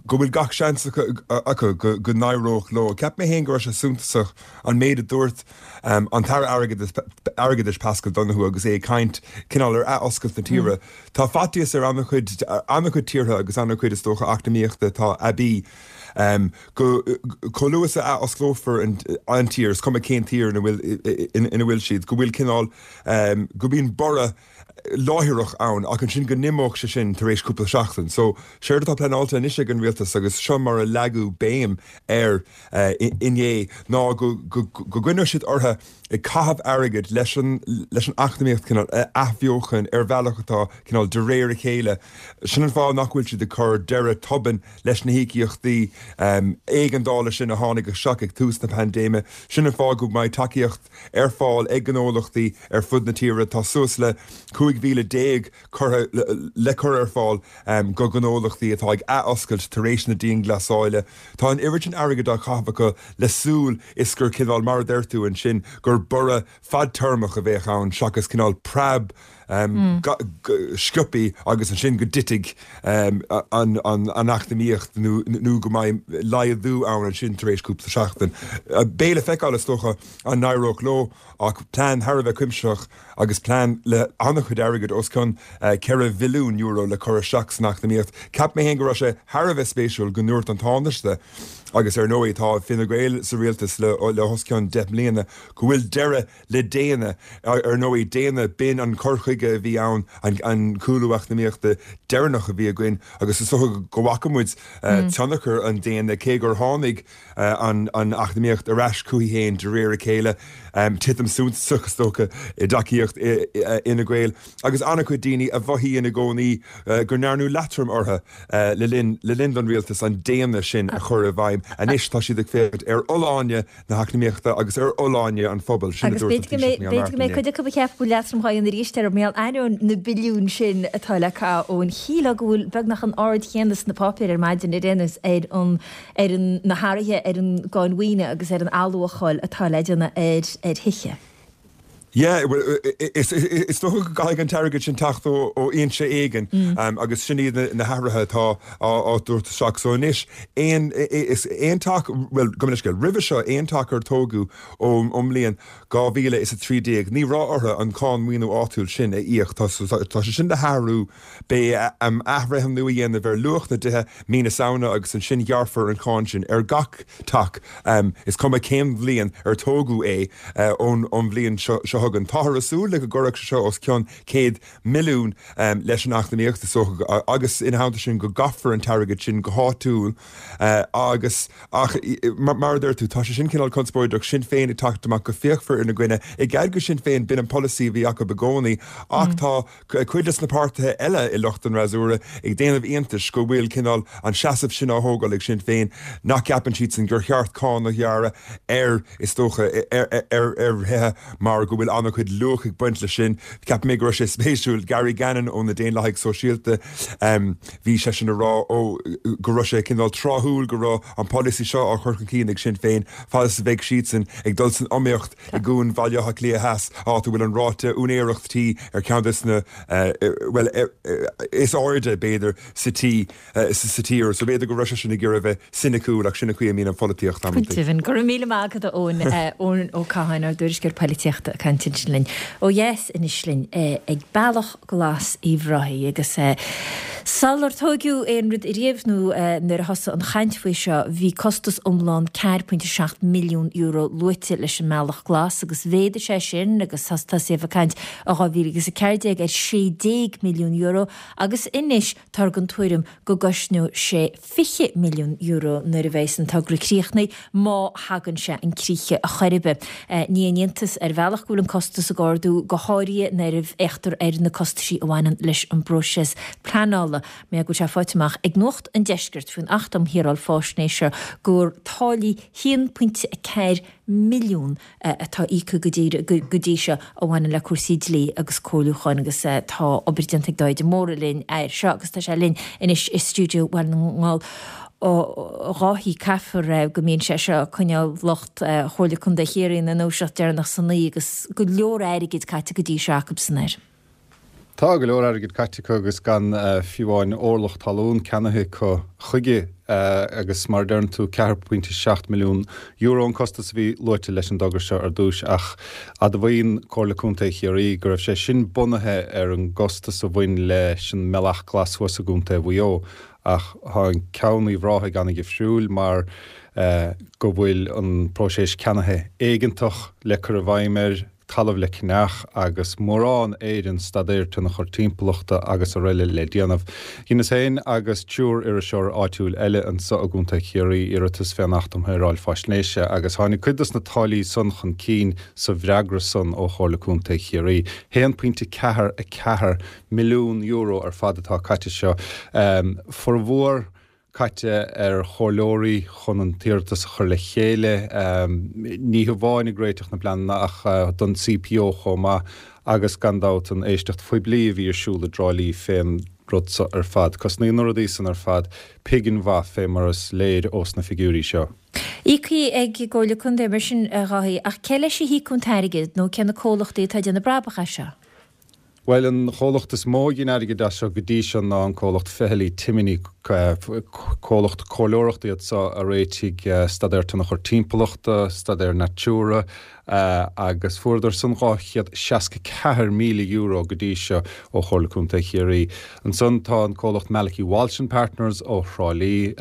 go bhfuil gach seans acu go n-éireodh leo. Cheap mé féin go raibh sé suntasach an méid a dúirt an tAire Airgeadais Paschal Donohoe agus é ag caint cineál ar athoscailt na tíre. Tá faitíos ar an-chuid an-chuid tíortha agus an-chuid is dócha eacnamaíochta atá aibí go chomh luath is a athosclófar an tír, is cuma cén tír ina bhfuil ina bhfuil siad, go bhfuil cineál go mbíonn borradh láithreach ann ach ansin go n-imeodh sé sin tar éis cúpla seachtain. So séard atá pleanáilte anois ag an rialtas agus seo mar a leagadh béim air inné ná go go gcoinneoidh siad orthu ag caitheamh airgid leis an leis an eacnamaíocht cineál a athbheochan ar bhealach atá cineál de réir a chéile. Sin an fáth nach bhfuil siad ag cur deireadh tobann leis na híocaíochtaí éigeandála sin a tháinig isteach ag tús na paindéime. Sin an fáth go mbeidh tacaíocht ar fáil ag gnólachtaí ar fud na tíre. Tá suas le cúig mhíle déag curtha le cur ar fáil go gnólachtaí atá ag athoscailt tar éis na dianghlasála. Tá an oiread sin airgid á chaitheamh acu le súil is gur cineál, mar a deir tú ansin, gur borradh fadtéarmach a bheadh ann seachas cineál preab sciobtha agus ansin go dtitfidh an eacnamaíocht nó go mbeidh laghdú ann ansin tar éis cúpla seachtain. Beidh le feiceáil, is dócha, an n-éireoidh leo ach plean thar a bheith cuimsitheach agus plean le an-chuid airgid, os cionn ceithre bhilliún euro le cur isteach san eacnamaíocht. Cheap mé féin go raibh sé thar a bheith spéisiúil go ndúirt an Tánaiste, agus ar ndóigh tá Fine Gael sa rialtas le os cionn deich mbliana, go bhfuil deireadh le déine. Ar ndóigh, déine, b'in an cur chuige a bhí ann, an cúlú eacnamaíochta deireanach a bhí againn agus is dócha go bhfaca muid tionchar an déine, cé gur tháinig an eacnamaíocht ar ais chuici féin de réir a chéile, titim suntasach is dócha i dtacaíocht Fhine Gael agus an-chuid daoine a mhothaíonn i gcónaí go ndearnadh leatrom orthu le linn le linn don rialtas an déine sin a chur i bhfeidhm. Anois tá siad ag féachaint ar fholláine na heacnamaíochta agus ar fholláine an phobail, sin a Agus dúirt an b'fhéidir go Taoiseach mbeidh Micheál b'fhéidir go Martin mbeidh inné. cuid acu a cheap go bhfuil leatrom dhá dhéanamh arís orthu mar gheall ainneoin na billiúin sin atá le caitheamh ón shílfeá go bhfuil beagnach an aird chéanna sna páipéir ar maidin ar aon nós ar an ar an na hathruithe ar an gcáin mhaoine agus ar an athluacháil atá le déanamh ar ar thithe. Yeah, well, is is dócha go gcaithfidh an t-airgead sin teacht ó ó fhoinse éigin agus sin iad na hathruithe atá á á dtabhairt isteach. So anois aon is aon teach, bhuel, gabh mo leithscéal, roimhe seo aon teach ar tógadh ón ón mbliain dhá mhíle is a trí déag ní raibh orthu an cáin maoiniú áitiúil sin a íoc. Tá tá sé sin le hathrú. Beidh athbhreithniú a dhéanamh ar luach na dtithe mí na Samhna agus ansin gearrfar an cháin sin ar gach teach, is cuma cén bhliain ar tógadh é, ón bhliain seo chugainn. Táthar ag súil le go gcuirfeadh sé seo os cionn céad milliún leis an eacnamaíocht, is dócha, agus ina theannta sin go gcaithfear an t-airgead sin go háitiúil agus ach mar a deir tú, tá sé sin cineál conspóideach, Sinn Féin ag teacht amach go fíochmhar ina gcoinne, i gcead go Sinn Féin, b'in an polasaí a bhí acu i gcónaí ach tá cuid de na páirtithe eile i lucht an fhreasúra ag déanamh iontais go bhfuil cineál an seasamh sin á thógáil ag Sinn Féin, nach gceapann siadsan gur cheart cáin a ghearradh ar, is dócha, ar ar thithe mar go bhfuil an-chuid luach ag baint leis sin. Cheap mé go raibh sé spéisiúil, Gary Gannon ó na Daonlathaigh Sóisialta, bhí seisean ag rá ó go raibh sé cineál tráthúil go raibh an polasaí seo á chur chun cinn ag Sinn Féin fad is a bheidh siadsan ag dul san iomaíocht i gcuan Bhaile Átha Cliath Theas, áit a bhfuil an ráta úinéireacht tí ar cheann de na, bhuel, is airde, b'fhéidir, sa tí, sa tír. So b'fhéidir go raibh seisean ag iarraidh a bheith soiniciúil ach sin an chaoi a mbíonn an pholaitíocht Go amantaí. deimhin. Go raibh míle maith agat, a Eoin, Eoin Ó Catháin, ár dtuairisceoir poilitíochta ag caint ansin linn ó dheas anois linn ag Bealach Glas Uíbh Ráthaigh agus sular tóigeadh aon rud ariamh nó nuair a thosaigh an chaint faoi seo bhí costas iomlán ceathair pointe seacht milliún euro luaite leis an mBealach Glas agus mhéadaigh sé sin agus tosaíodh ag caint i dhá mhíle agus a ceathair déag ar sé déag milliún euro agus anois táthar den tuairim go gcosnóidh sé fiche milliún euro nuair a bheas an togra críochnaithe, má thagann sé chun críche ar chor ar bith. Ní haon iontas ar bhealach go bhfuil an costas ag ardú, go háirithe nuair a fhéachtar ar na costaisí a bhaineann leis an bpróiseas pleanála. Mar go bhfuil sé faighte amach ag Nuacht an Deiscirt faoin Acht um Shaoráil Faisnéise gur táillí haon pointe a ceathair milliún atá íoctha go dtí seo a bhaineann le cúrsaí dlí agus comhairliúcháin agus tá obair déanta ag Dáithí de Mórdha linn air seo agus tá sé linn anois i stiúideo Bhaile na nGall. A Dháithí, caithfear go mbíonn sé seo ag coinneáil lucht Chomhairle Contae Chiarraí ina ndúiseacht deireanach san oíche agus go leor airgid caite go dtí seo acusan air. Tá go leor airgid caite acu agus gan fiú amháin orlach talún ceannaithe acu chuige agus mar a deireann tú ceathair pointe seacht milliún euro an costas a bhí luaite leis an dtogra seo ar dtús ach admhaíonn Comhairle Contae Chiarraí go raibh sé sin bunaithe ar an gcostas a bhain leis an mBealach Glas thuas i gContae Mhaigh Eo. Ach tá an ceann Uíbh Ráthaigh an-dhifriúil mar go bhfuil an próiseas ceannaithe éigeantach le cur i bhfeidhm air, talamh le ceannach agus mórán Éireann, staidéar tionchar timpeallachta agus araile le déanamh. Dheineas féin agus triúr iriseoir áitiúil eile anso i gContae Chiarraí iarratas fén Acht um Shaoráil Faisnéise agus tháinig cuid dos na táillí san chun cinn sa bhfreagra san ó Chomhairle Contae Chiarraí. haon pointe ceathair a ceathair milliún euro ar fad atá caite seo. Formhór caite ar chomhairleoirí chun an t-iarratas a chur le chéile, ní hamháin ag réiteach na bpleananna ach don CPO chomh maith agus gan dabht an éisteacht phoiblí a bhí ar siúl i dTrá Lí fén rud so ar fad. Cosnaíonn na rudaí san ar fad pingin mhaith fé mar is léir ós na figiúirí seo. Íoctha ag an gComhairle Contae mar sin, a Dháithí, ach cé leis a híocadh an t-airgead nó cé na comhlachtaí atá ag déanamh brabach as seo? Bhuel, an chomhlacht is mó a ghin airgead as seo go dtí seo ná an comhlacht Fehily Timoney, comhlacht comhairleoireachta iad seo a réitigh staidéar tionchar timpeallachta, staidéar Natura, agus fuaireadar san dhá chéad seasca ceathair míle euro go dtí seo ó Chomhairle Contae Chiarraí. Ansan tá an comhlacht Malachy Walsh and Partners ó Thrá Lí,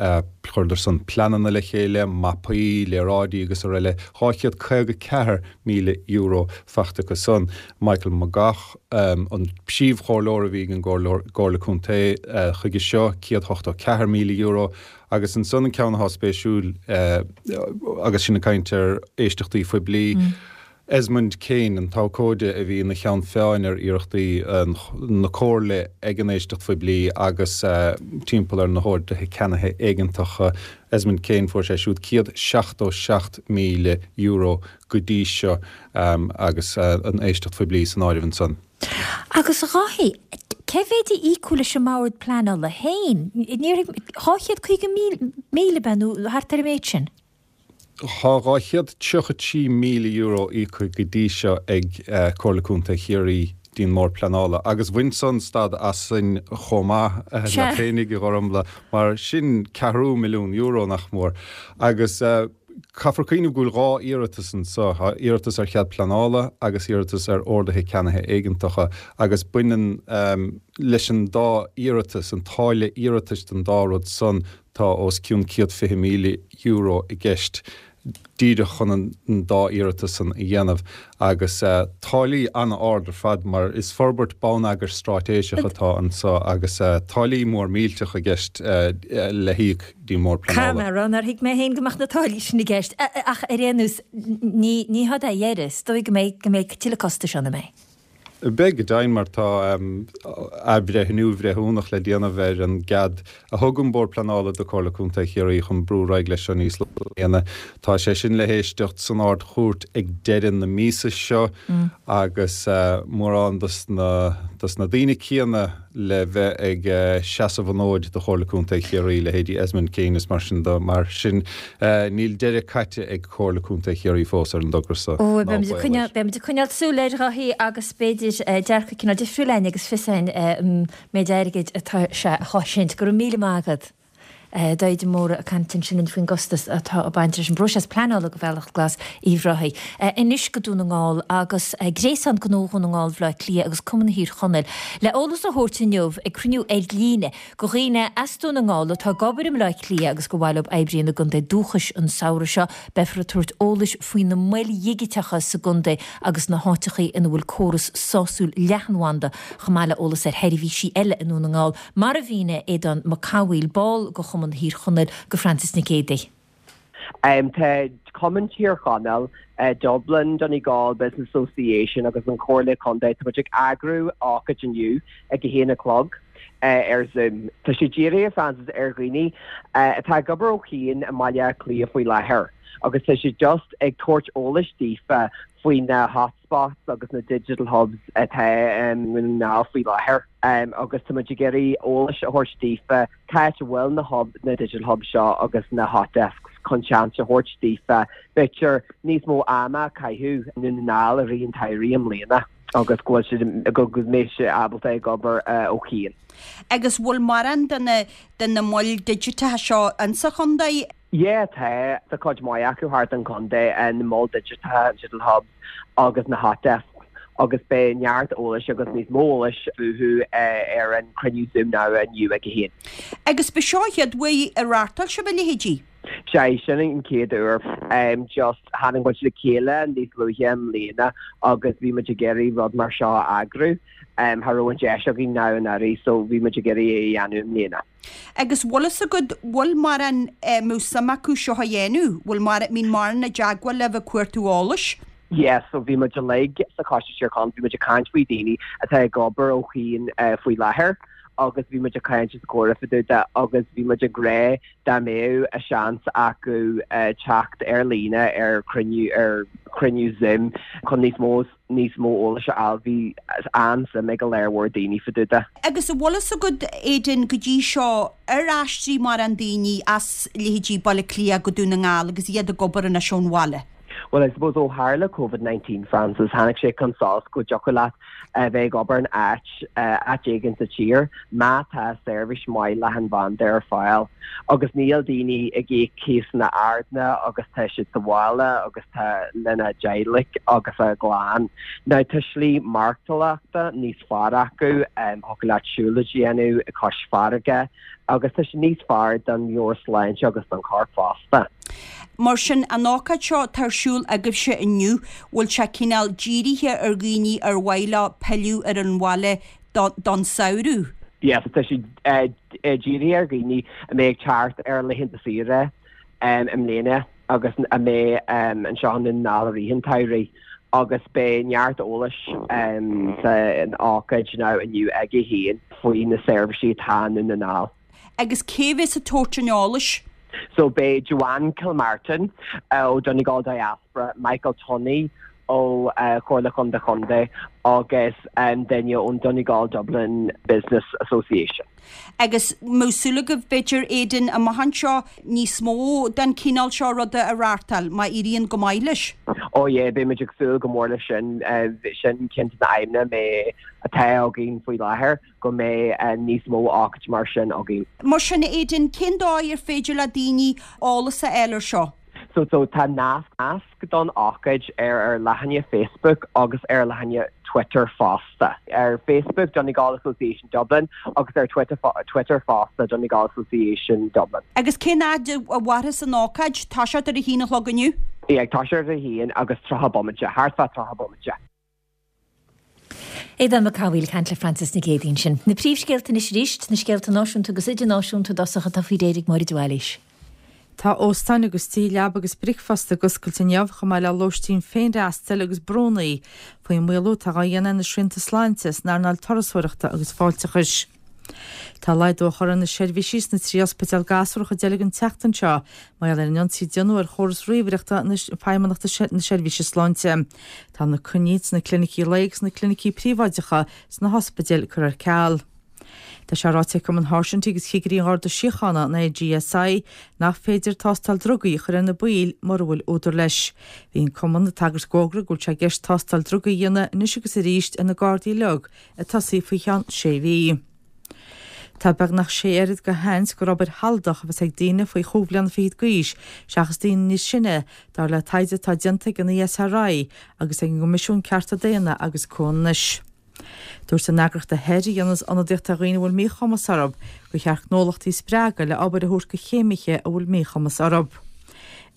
chuireadar san pleananna le chéile, mapaí, léaráidí agus araile, dhá chéad caoga ceathair míle euro faighte acu san. Michael McGough, an príomhchomhairleoir a bhí ag an gComhairle Contae chuige seo, céad ochtó ceathair míle euro, agus ansan an ceann atá spéisiúil agus sinn ag caint ar éisteachtaí phoiblí, Esmond Kane, an t-abhcóide a bhí ina cheann feadhain ar iarrachtaí na Comhairle ag an éisteacht phoiblí agus timpeall ar na horduithe ceannaithe éigeantacha, Esmond Kane, fuair sé siúd céad seachtó seacht míle euro go dtí seo agus an éisteacht phoiblí san áireamh ansan. Agus a Dháithí, cé mhéid a íocadh leis an mBord Pleanála féin? Dhá chéad caoga míle, ab ea, nó thart ar an méid sin? Tá dhá chéad tríocha trí míle euro íoctha go dtí seo ag Comhairle Contae Chiarraí dtí'n mBord Pleanála agus bhain san stad asainn chomh maith leat féinig, a Ghormfhlaith, mar sin ceathrú milliún euro nach mór. Agus caithfear cuimhneamh go bhfuil dhá iarratas anso, tá iarratas ar chead pleanála agus iarratas ar orduithe ceannaithe éigeantacha agus baineann leis an dá iarratas, an táille iarratais don dá rud san, Tá os cionn céad fiche míle euro i gceist díreach chun an dá iarratas san a dhéanamh agus táillí an-ard ar fad mar is forbairt bonneagair straitéiseach atá anso agus táillí mór millteach i gceist le híoc dtí'n mBord Pleanála. Caithfidh mé a rá nár thuig mé féin go mbeadh na táillí sin i gceist ach ar aon nós ní had é a dheireadh, is dóigh go mbeidh go mbeidh tuilleadh costais ann, an mbeidh? Beidh go deimhin mar tá athbhreithniú breithiúnach le déanamh ar an gcead a thug an Bord Pleanála do Chomhairle Contae Chiarraí chun brú ar aghaidh leis seo níos luaithe i mbliana. Tá sé sin le héisteacht san Ard-Chúirt ag deireadh na míosa seo agus mórán dos na daoine céanna le bheith ag seasamh an fhóid do Chomhairle Contae Chiarraí, leithéidí Esmond Kane is mar sin de. Mar sin, níl deireadh caite ag Comhairle Contae Chiarraí fós ar an dtogra seo, ná baol air. Beimid ag coinneáil súil air, a Dháithí, agus b'fhéidir dearcadh cineál difriúil againn agus fios againn an méid airgid atá sé a chosaint. Go raibh míle maith agat. Dáithí de Mórdha ag caint ansin linn faoin gcostas atá ag baint leis an bpróiseas pleanála do Bhealach Glas Uíbh Ráthaigh. Anois go Dún na nGall agus Gréasán Gnó Dhún na nGall Bhaile Átha Cliath agus Cumann Thír Chonaill le eolas a thabhairt inniu ag cruinniú ar líne do dhaoine as Dún na nGall atá ag obair i mBaile Átha Cliath agus gur mhaith leo oibriú ina gcontae dúchais an samhradh seo. Beifear ag tabhairt eolais faoi na moil dhigiteacha sa gcontae agus na háiteachaí ina bhfuil córas sásúil leathanbhanda chomh maith le eolas ar sheirbhísí eile i nDún na nGall. Mar a mhínigh Aodán Mac Cathmhaoil, ball de Chumann Thír Chonaill, do Frances Nic Géadaigh. Tá Cumann Thír Chonaill, Dublin Donegal Business Association agus an Chomhairle Contae, tá muid ag eagrú ócáid inniu ag a haon a chlog. ar Zoom. Tá sé dírithe Francis ar dhaoine atá ag obair ó chian i mBaile Átha Cliath faoi láthair agus tá sé just ag tabhairt eolais daofa faoi na hotspots agus na digital hubs atá i nDún na nGall faoi láthair agus tá muid ag iarraidh eolais a thabhairt daofa cá háit a bhfuil na hub na digital hubs seo agus na hot desks chun seans a thabhairt daofa b'fhéidir níos mó ama a chaitheamh i nDún na nGall i rith an tsamhraidh i mbliana agus go bhfuil siad go mbeidh siad ábalta ag obair ó chian. Agus bhfuil mórán de na de na moil digiteacha seo insa chontae? Yeah tá, tá cuid mhaith acu thart an chontae, na moil digiteacha, digital hubs agus na hot desks agus beidh neart eolais agus níos mó eolais fúthu ar an cruinniú Zoom now inniu ag a haon. Agus ba seo an chéad uair a reáchtáil sibh a leithéidí? Sea, sin an chéad uair. Just tháinig muid le chéile níos luaithe i mbliana agus bhí muid ag iarraidh rud mar seo a eagrú. Cha raibh an deis againn now anuraidh so bhí muid ag iarraidh é a dhéanamh i mbliana. Agus bhfuil fhios agat, bhfuil mórán a mbeadh suim acu seo a dhéanamh? Bhfuil mórán, mbíonn mórán i dteagmháil libh ag cuartú eolais? Yeah, so bhí muid uilig sa Choiste Tír Chonaill, bhí muid ag caint faoi daoine atá ag obair ó chian faoi láthair agus bhí muid ag caint is ag comhrá fá dtaobh de agus bhí muid ag rá dá mbeadh a seans acu teacht ar líne ar chruinniú ar chruinniú Zoom chun níos mó níos mó eolais a fháil. Bhí an-suim ag go leor mhór daoine fá dtaobh de. Agus an bhfuil fhios agat, Aidan, go dtí seo, ar aistrigh mórán daoine as leithéidí Baile Átha Cliath go Dún na nGall agus iad ag obair anois ón bhaile? Well, I suppose ó tharla Covid nineteen, Francis, tháinig sé chun solais go dtiocfadh leat a bheith ag obair in áit, áit éigin sa tír má tá seirbhís maith leathanbhanda ar fáil. Agus níl daoine ag íoc cíosanna arda agus tá siad sa bhaile agus tá lena dteaghlaigh agus a gclann. Now tá slí maireachtála níos fearr acu, thiocfadh leat siúlóid a dhéanamh cois farraige agus tá sé níos fearr don mheabhairshláinte agus don chorp fosta. Mar sin, an ócáid seo atá ar siúl agaibhse inniu, bhfuil sé cineál dírithe ar dhaoine ar mhaith leo pilleadh ar an bhaile don samhradh? Yes, tá sé dírithe ar dhaoine a mbeidh ag teacht ar laethanta saoire i mbliana agus a mbeidh anseo i nDún na nGall i rith an tsamhraidh agus beidh neart eolais san ócáid now inniu ag a haon faoi na seirbhísí atá i nDún na nGall. Agus cé bheas ag tabhairt an eolais? So beidh Joanne Kilmartin ó Donegal Diaspora, Michael Tunney ó Chomhairle Chontae Chontae agus duine ón Donegal Dublin Business Association. Agus mbeadh súil agaibh, b'fhéidir, Aidan, amach anseo níos mó den chineál seo ruda a reáchtáil, má éiríonn go maith leis? Oh yeah, beidh muid ag súil go mór leis sin. Sin ceann de na aidhmeanna mé atá againn faoi láthair, go mbeidh níos mó ócáidí mar sin againn. Mar sin, Aidan, cén dóigh ar féidir le daoine eolas a fháil ar seo? So so tá nasc don ócáid ar ár leathanach Facebook agus ar leathanach Twitter fosta. Ar Facebook, Donegal Association Dublin agus ar Twitter Twitter fosta, Donegal Association Dublin. Agus cén fhad a mhairfeas an ócáid? Toiseacht ar a haon a chlog inniu? Yeah, ag toiseacht ar a haon agus tríocha bomaite, thart fá tríocha bomaite. Aodán Mac Cathmhaoil ag caint le Frances Nic Géadaigh ansin. Na príomhscéalta anois arís, na scéalta náisiúnta agus idirnáisiúnta i dtosach atá faoi réir ag Máire de Bhailís. Tá óstáin agus tithe leaba agus bricfeasta ag oscailt inniu chomh maith le lóistín féinfhreastail agus brúnna faoin maolú atá á dhéanamh ar na srianta sláinte san earnáil turasóireachta agus fáilteachais. Tá laghdú á chur ar na seirbhísí sna trí ospidéal gasúr a Dheilg an tseachtain seo mar gheall ar an ionsaí a déanadh ar chóras ríomhaireachta na Feidhmeannachta na Seirbhíse Sláinte. Tá na coinní sna clinicí lae agus na clinicí príobháideacha sna hospidéil curtha ar ceal. Tá sé ráite ag Cumann Sháirsintí agus Chigirí an Gharda Síochána, an AGSI, nach féidir tástáil drugaí a chur ar na baill mura bhfuil údar leis. Bhí an Cumann ag tagairt d'fhógra go bhfuil sé i gceist tástáil drugaí a dhéanamh anois agus arís ar na Gardaí uilig, ag tosaí faoi cheann sé mhí. Tá beagnach sé oiread de sheans gur obair shealadach a bheas ag daoine faoi chúig bhliana fichead d'aois seachas daoine níos sine, dar le taighde atá déanta ag an ESRI agus ag an gCoimisiún Cearta Daonna agus Comhionannais. Dúirt an eagraíocht AHEAD, a dhéanas ionadaíocht ar dhaoine a bhfuil míchumas orthu, gur cheart gnólachtaí a spreagadh le obair a thabhairt do chéimithe a bhfuil míchumas orthu.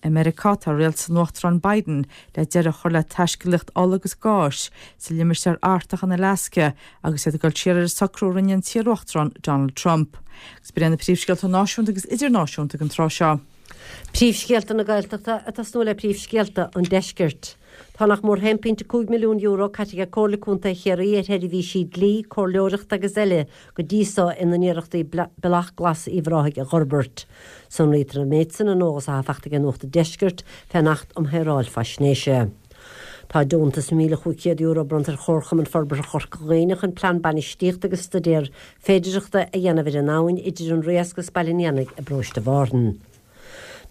I Meiriceá, tá rialtas an Uachtaráin Biden le deireadh a chur le taiscéalaíocht ola agus gáis sa limistéar Artach in Alasca agus iad ag dul siar ar an socrú a rinne an t-iaruachtarán Donald Trump. Agus b'in iad na príomhscéalta náisiúnta agus idirnáisiúnta ag an tráth seo. Príomhscéalta na Gaeltachta ag tosnú le príomhscéalta an Deiscirt. Tá nach mór haon pointe cúig milliún euro caite ag Comhairle Contae Chiarraí ar sheirbhísí dlí, comhairleoireachta agus eile go dtí so ina n-iarrachtaí Bealach Glas Uíbh Ráthaigh a dh'fhorbairt. Sonraítear an méid san in eolas atá faighte ag Nuacht an Deiscirt fén Acht um Shaoráil Faisnéise. Tá deontas míle chúig chéad euro bronnta ar Chomharchumann Forbartha Chorca Dhuibhne chun plean bainistíochta agus staidéar féidearthachta a dhéanamh ar an abhainn idir an Riasc agus Baile an Éanaigh i bparóiste Mhárthain.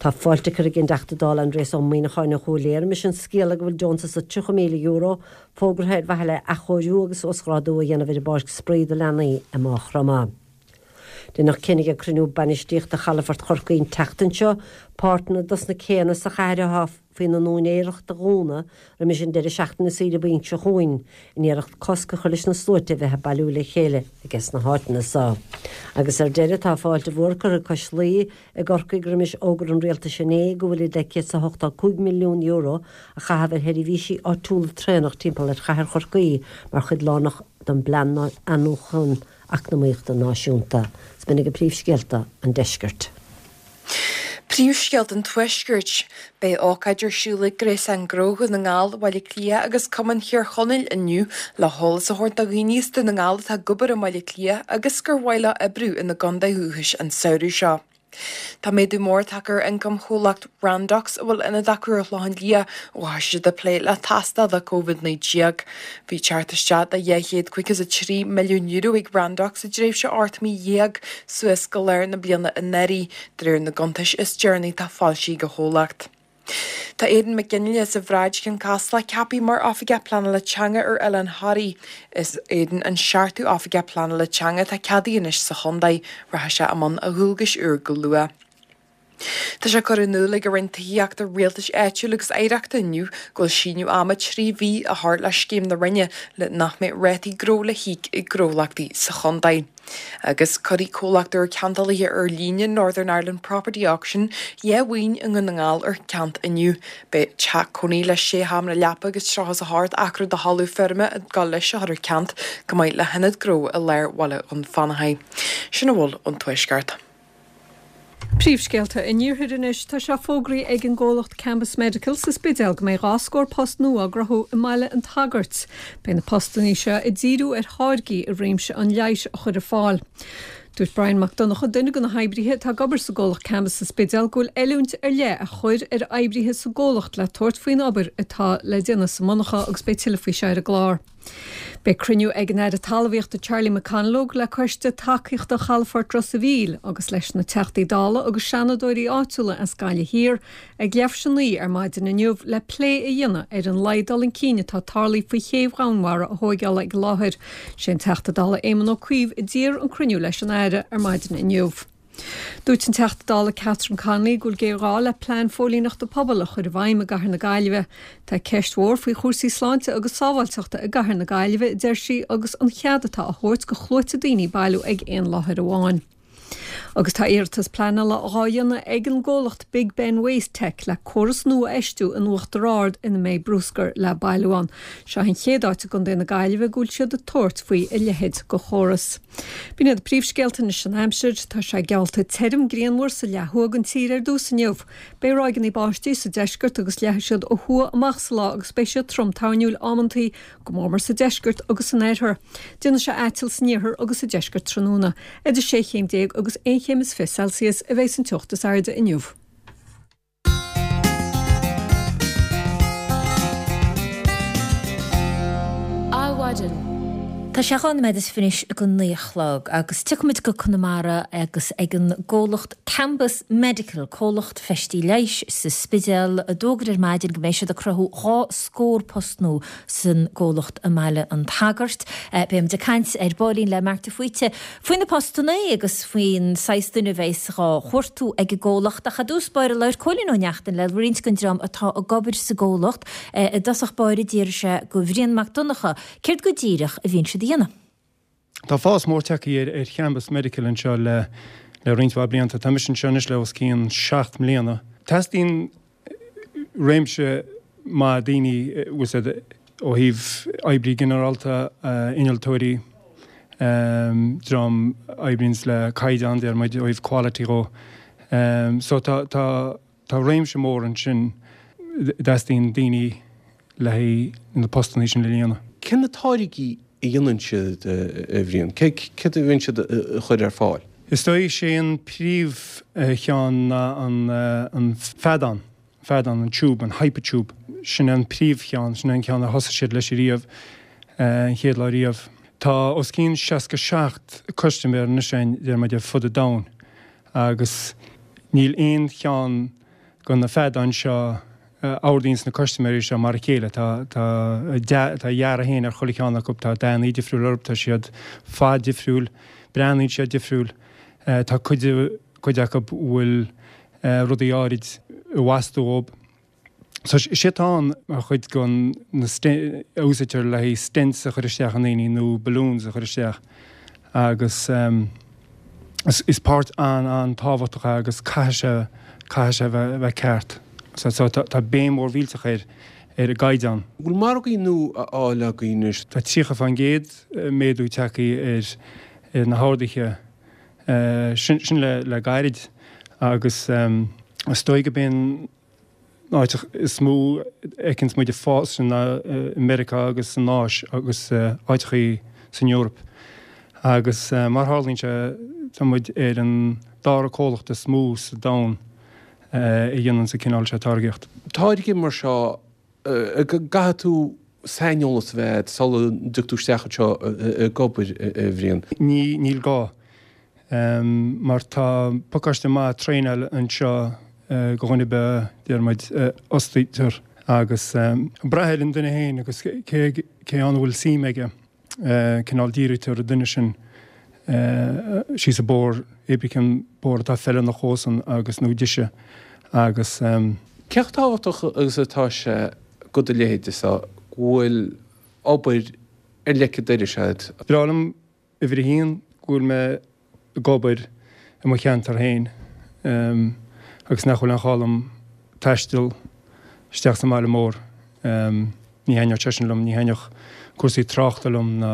Tá fáilte curtha ag an dTeachta Dála Aindrias Ó Muimhneacháin ó Chúil Aodha roimis an scéala go bhfuil deontas de tríocha míle euro fógartha ar mhaithe le athchóiriú agus uasghrádú a dhéanamh ar an bpáirc spraoi do leanaí i Maigh Chromtha. Deineadh cinneadh ag cruinniú bainistíochta Chalafort Chorcaí an tseachtain seo páirteanna dos na céanna sa chathair atá faoina n-úinéireacht a dhúnadh roimis an deireadh seachtaine saoire bainc seo chugainn, in iarracht cosc a chur leis na sluaite a bheith ag bailiú le chéile ages na háiteanna so. Agus ar deireadh tá fáilte mhór curtha ag Cois Laoi i gCorcaigh roimis fhógra an rialtais inné go bhfuilid le céad is a hochtó cúig milliún euro a chaitheamh ar sheirbhísí áitiúla traenach timpeall ar chathair Chorcaí mar chuid lárnach den bplean athnuachan eacnamaíochta náisiúnta. Is b'in agaibh príomhscéalta an deiscirt. Príomhscéalta an Tuaiscirt. Beidh ócáid ar siúl ag Gréasán Gnó Dhún na nGall, Bhaile Átha Cliath agus Cumann Thír Chonaill inniu le heolas a thabhairt do dhaoine as Dún na nGall atá ag obair i mBaile Átha Cliath agus gur mhaith leo oibriú ina gcontae dhúchais an samhradh seo. Tá méadú mór tagtha ar ioncam chomhlacht Randox, a bhfuil ionad acu ar an Chlochán Liath, ó thosaigh siad ag plé le tástáil do Covid naoi déag. Bhí teacht isteach de dhá chéad caoga is a trí milliún euro ag Randox i dtréimhse ocht mí dhéag suas go lár na bliana anuraidh, de réir na gcuntais is deireanaí atá foilsithe ag an chomhlacht. Tá Aidan McGinley as an Bhráid, Cionn Caslach, ceaptha mar Oifigeach Pleanála Teanga ar Oileán Thoraí. Is Aidan an seachtú Oifigeach Pleanála Teanga atá ceadaithe anois sa chontae. Rachaidh sé i mbun a dhualgais úr go luath. Tá sé curtha in iúl ag an Roinn Tithíochta, Rialtais Áitiúil agus Oidhreachta inniu go bhfuil síneadh ama trí mhí á chur le scéim na Roinne le nach mbeidh rátaí gnó le híoc ag gnólachtaí sa chontae. Agus cuirfidh comhlacht úr ceantálaithe ar líne Northern Ireland Property Auction dhá mhaoin i nDún na nGall ar ceant inniu. Beidh teach cónaí le sé sheomra leapa agus tríocha is a hocht acra de thalamh feirme ag dul leis a chur ar ceant, chomh maith le hionad gnó i lár bhaile Dhún Fionnachaidh. Sin a bhfuil ón Tuaisceart. Príomhscéalta an Iarthair anois, tá sé fógraithe ag an gcomhlacht Cambus Medical sa Spidéal go mbeidh dhá scór post nua á gcruthú i mBaile an tSagairt. Beidh na postanna seo ag díriú ar tháirgí i réimse an leighis a chur ar fáil. Dúirt Brian Mac Donncha, duine de na hoibrithe atá ag obair sa gcomhlacht Cambus sa Spidéal, go bhfuil oiliúint ar leith á chur ar oibrithe sa gcomhlacht le tabhairt faoin obair atá le déanamh sa monarcha agus beidh tuilleadh faoi seo ar an gclár. Beidh cruinniú ag an Aire Talmhaíochta Charlie McConalogue le Coiste Tacaíochta Chalafort Ros a' Mhíl agus leis na Teachtaí Dála agus Seanadóirí áitiúla as Gaillimh Thiar ag leathuair tar éis a naoi ar maidin inniu le plé a dhéanamh ar an laghad dul chun cinn atá tarlaithe faoi chéibh Dhomhanmhara a thóigeáil ag an láthair. Sé an Teachta Dála Éamon Ó Cuív a d'iarr an cruinniú leis an Aire ar maidin inniu. Dúirt an Teachta Dála Catherine Connolly go bhfuil géarghá le plean phóilíneachta pobail a chur i bhfeidhm i gcathair na Gaillimhe. Tá ceist mhór faoi chúrsaí sláinte agus sábháilteachta i gcathair na Gaillimhe, a deir sí, agus an chead atá á thabhairt go shluaite daoine bailiú ag aon láthair amháin. Agus tá iarratas pleanála dhá dhéanamh ag an gcomhlacht Big Ben Waste Tech le córas nua a fheistiú in Uachtar Ard ina mbeidh bruscar le bailiú ann. Seo an chéad áit i gContae na Gaillimhe go bhfuil siad ag tabhairt faoi a leithéid de chóras. B'in iad príomhscéalta anois an aimsir. Tá sé geallta tirim grianmhar sa leath thuaidh den tír ar dtús inniu. Beidh ráigeanna báistí sa deisceart agus leathfaidh siad ó thuaidh amach sa lá agus beidh siad trom toirniúil amantaí, go mór mór sa deisceart agus san oirthear. Déanfaidh sé aiteal san iarthar agus sa deisceart tráthnóna. Idir sé chéim déag agus aon chéim is fiche Celsius a bheidh an teocht is airde inniu. Adhmhaidin. Tá sé dhá nóiméad is fiche anois go naoi a chlog agus tiocfaimid go Conamara agus ag an gcomhlacht Cambus Medical, comhlacht feistí leighis sa Spidéal, a d'fhógair ar maidin go mbeidh siad ag cruthú dhá scór post nua san gcomhlacht i mBaile an tSagairt. Beimid ag caint ar baillín le Mark de Faoite faoi na postanna agus faoin saghas duine a bheas dhá chuartú ag an gcomhlacht ach i dtús báire labhair Cóilín Ó Neachtain le roinnt den dream atá ag obair sa gcomhlacht. I dtosach báire d'fhiafraigh sé go Bhrian Mac Donncha céard go díreach a bhíonn siad a dhéanamh. Tá fás mór tagtha ar ar Chambus Medical anseo le le roinnt mhaith blianta. Tá mise anseo anois le os cionn seacht mbliana. Teastaíonn réimse maith daoine bhfuil a fhios agat ó thaobh oibrí ginearálta, innealtóirí, dream a oibríonns le caighdeán, deir muid, ó thaobh quality dhó. So tá tá tá réimse mór ansin dteastaíonn daoine le haghaidh na postanna sin a líonadh. Cé na táirgí a dhéanann siad, a Bhriain? Céard a bhíonn siad a chur ar fáil? Is dóigh sé an príomhcheann ná an an feadán, feadán, an tiúb, an hypotube. Sin an príomhcheann, sin an ceann a thosaigh siad leis riamh, an chéad lá riamh. Tá os cionn seasca seacht custaiméir anois againn, deir muid, ar fud an domhain agus níl aon cheann de na feadáin seo a ordaíonns na custaiméirí seo mar a chéile. Tá tá a dearadh féin ar chuile cheann acu, tá dathanna difriúil orthu, tá siad fad difriúil, breathnaíonn siad difriúil. Tá cuid cuid acu a bhfuil rudaí áirid i bhfastú dhób. So is é atá ann mar chuid den na a úsáidtear le haghaidh stents a chur isteach i ndaoine nó balloons a chur isteach agus is páirt an-an-tábhachtach é agus caithfidh sé caithfidh sé a bheith ceart. So so tá béim mhór mhillteach air ar an gcaighdeán. Bhfuil margaí nua á fháil agaibh anois? Tá tríocha fán gcéad méadú tagtha ar ar na horduithe sin sin le le gairid agus is dóigh gurb é an áit is mó a fheiceanns muid ag fás sin ná i Meiriceá agus san Áis agus áiteachaí san Eoraip. Agus mar tharlaíonn sé tá muid ar an dara comhlacht is mó sa domhan a dhéananns an cineál seo táirgíocht. Táirge mar seo, gcaithfidh tú saineolas a bheith agat sula dtig tú isteach anseo ag obair, a Bhriain? Ní, níl gá. Mar tá pacáiste maith traenáil anseo do dhuine ar bith, deir muid, a fhostaítear agus brath ar an duine féin agus cé cé ann a bhfuil suim aige, cineál dírítear an duine sin síos an bóthar, pé cén bóthar atá feiliúnach dhósan agus nó dise agus. Cé chomh tábhachtach agus atá sé do do leithéide so go bhfuil obair ar leic an dorais agat? Breá liom uimhir a haon go bhfuil mé ag obair i mo cheantar féin agus nach bhfuil aon chall dom taisteal isteach sa mbaile mór. Ní thaitneodh sé sin liom, ní thaitneodh cúrsaí tráchta liom ná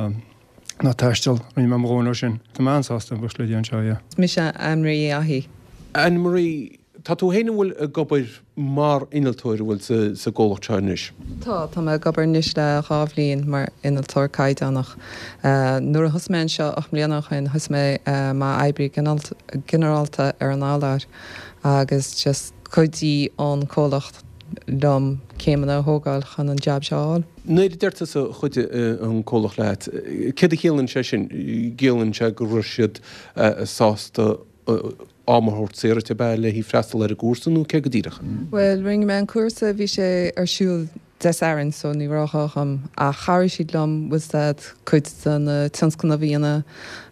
ná taisteal. Rinne mé mo dhóthain ó sin. Tá mé an-sásta buíochas le Dia anseo, yeah. Is mise Anne Marie Ahie. Anne Marie, Tá tú féin an bhfuil ag obair mar innealtóir an bhfuil sa gcomhlacht seo anois? Tá, tá mé ag obair anois le dhá bhliain mar innealtóir caighdeánach. Nuair a thosaigh mé anseo ocht mbliana ó shin thosaigh mé mar oibrí ginearálta ar an urlár agus just chuidigh an comhlacht liom céimeanna a thógáil chun an jab seo a fháil. Nuair a deir tusa chuidigh an comhlacht leat, céard a chiallaíonn sé sin? Ciallaíonn sé go raibh siad sásta am a thabhairt saor duit ab ea le haghaidh freastal ar an gcúrsa nó cé go díreach? Bhuel, rinne mé an cúrsa, bhí sé ar siúl Dé Sathairn so ní raibh gá dhom ach chabhraigh siad liom bhfuil a fhios agat cuid de na tionscnaimh a dhéanamh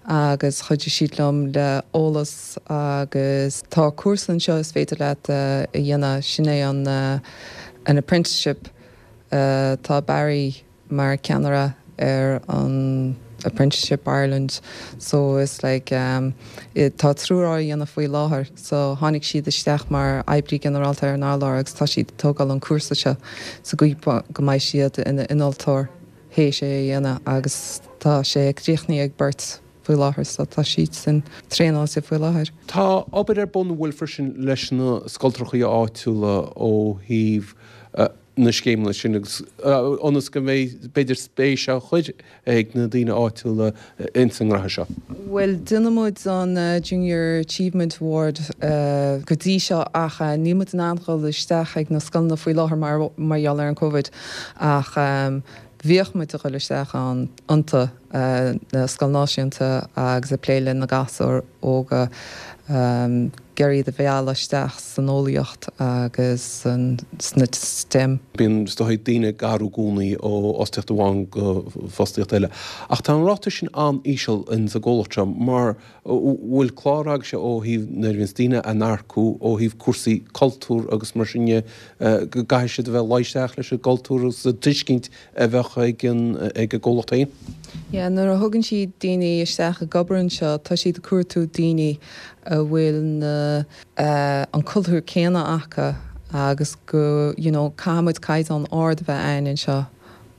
agus chuidigh siad liom le eolas agus tá cúrsa anseo is féidir leat a dhéanamh, sin é an an apprenticeship. Tá Barry mar ceannaire ar an Apprenticeship Ireland so it's like tá triúr á dhéanamh faoi láthair so tháinig siad isteach mar oibrí ginearálta ar an urlár agus tá siad ag tógáil an cúrsa seo sa gcaoi go mbeidh siad ina innealtóir théis é a dhéanamh agus tá sé críochnaithe ag beirt faoi láthair so tá siadsan traenáilte faoi láthair. Tá obair ar bun an bhfuil freisin leis na scoltrachaí áitiúla ó thaobh na scéimeanna sin agus ionas go mbeidh b'fhéidir spéis á chur ag na daoine áitiúla ins an ngraithe seo. Bhuel, déanann muid an Junior Achievement Award go dtí seo ach níl muid in ann dhul isteach ag na scoileanna faoi láthair mar mar gheall ar an Covid ach bhíodh muid ag dhul isteach ann iontu, na Scoil Náisiúnta agus ag plé le na gasúir óga. ag iarraidh iad a mhealladh isteach san eolaíocht agus sna STEM. Bíonn, is dóigh, daoine ag athrú i gcónaí ó fhostaíocht amháin go fostaíocht eile. Ach tá an ráta sin an-íseal ins an gcomhlacht seo mar bhfuil clár agaibhse ó thaobh nuair a bhíonns daoine á n-earcú ó thaobh cúrsaí cultúr agus mar sin de go gcaithfidh siad a bheith luí isteach leis an gcultúr agus an tuiscint a bheadh ag an ag an gcomhlacht féin. Yeah, nuair a thugann siad daoine isteach ag obair anseo tá siad ag cuartú daoine a bhfuil na an cultúr céanna acu agus go you know caithfidh muid caighdeán ard a bheith againn anseo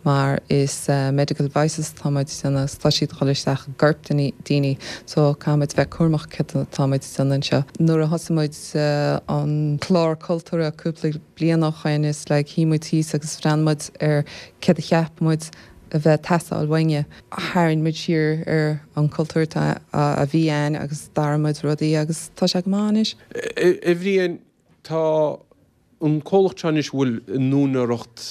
mar is medical devices atá muid ag déanamh agus tá siad ag dul isteach i gcorp daoine so caithfidh muid bheith cúramach céard atá muid ag déanamh anseo. Nuair a thosaigh muid an clár cultúrtha cúpla bliain ó shoin is like shuigh muid thíos agus bhreathnaigh muid ar céard a cheap muid a bheith ag teastáil uainne. Tharraing muid siar ar an cultúr a bhí ann agus d'athraigh muid rudaí agus tá sé go maith anois. A Bhriain, tá an comhlacht seo anois a bhfuil in úinéireacht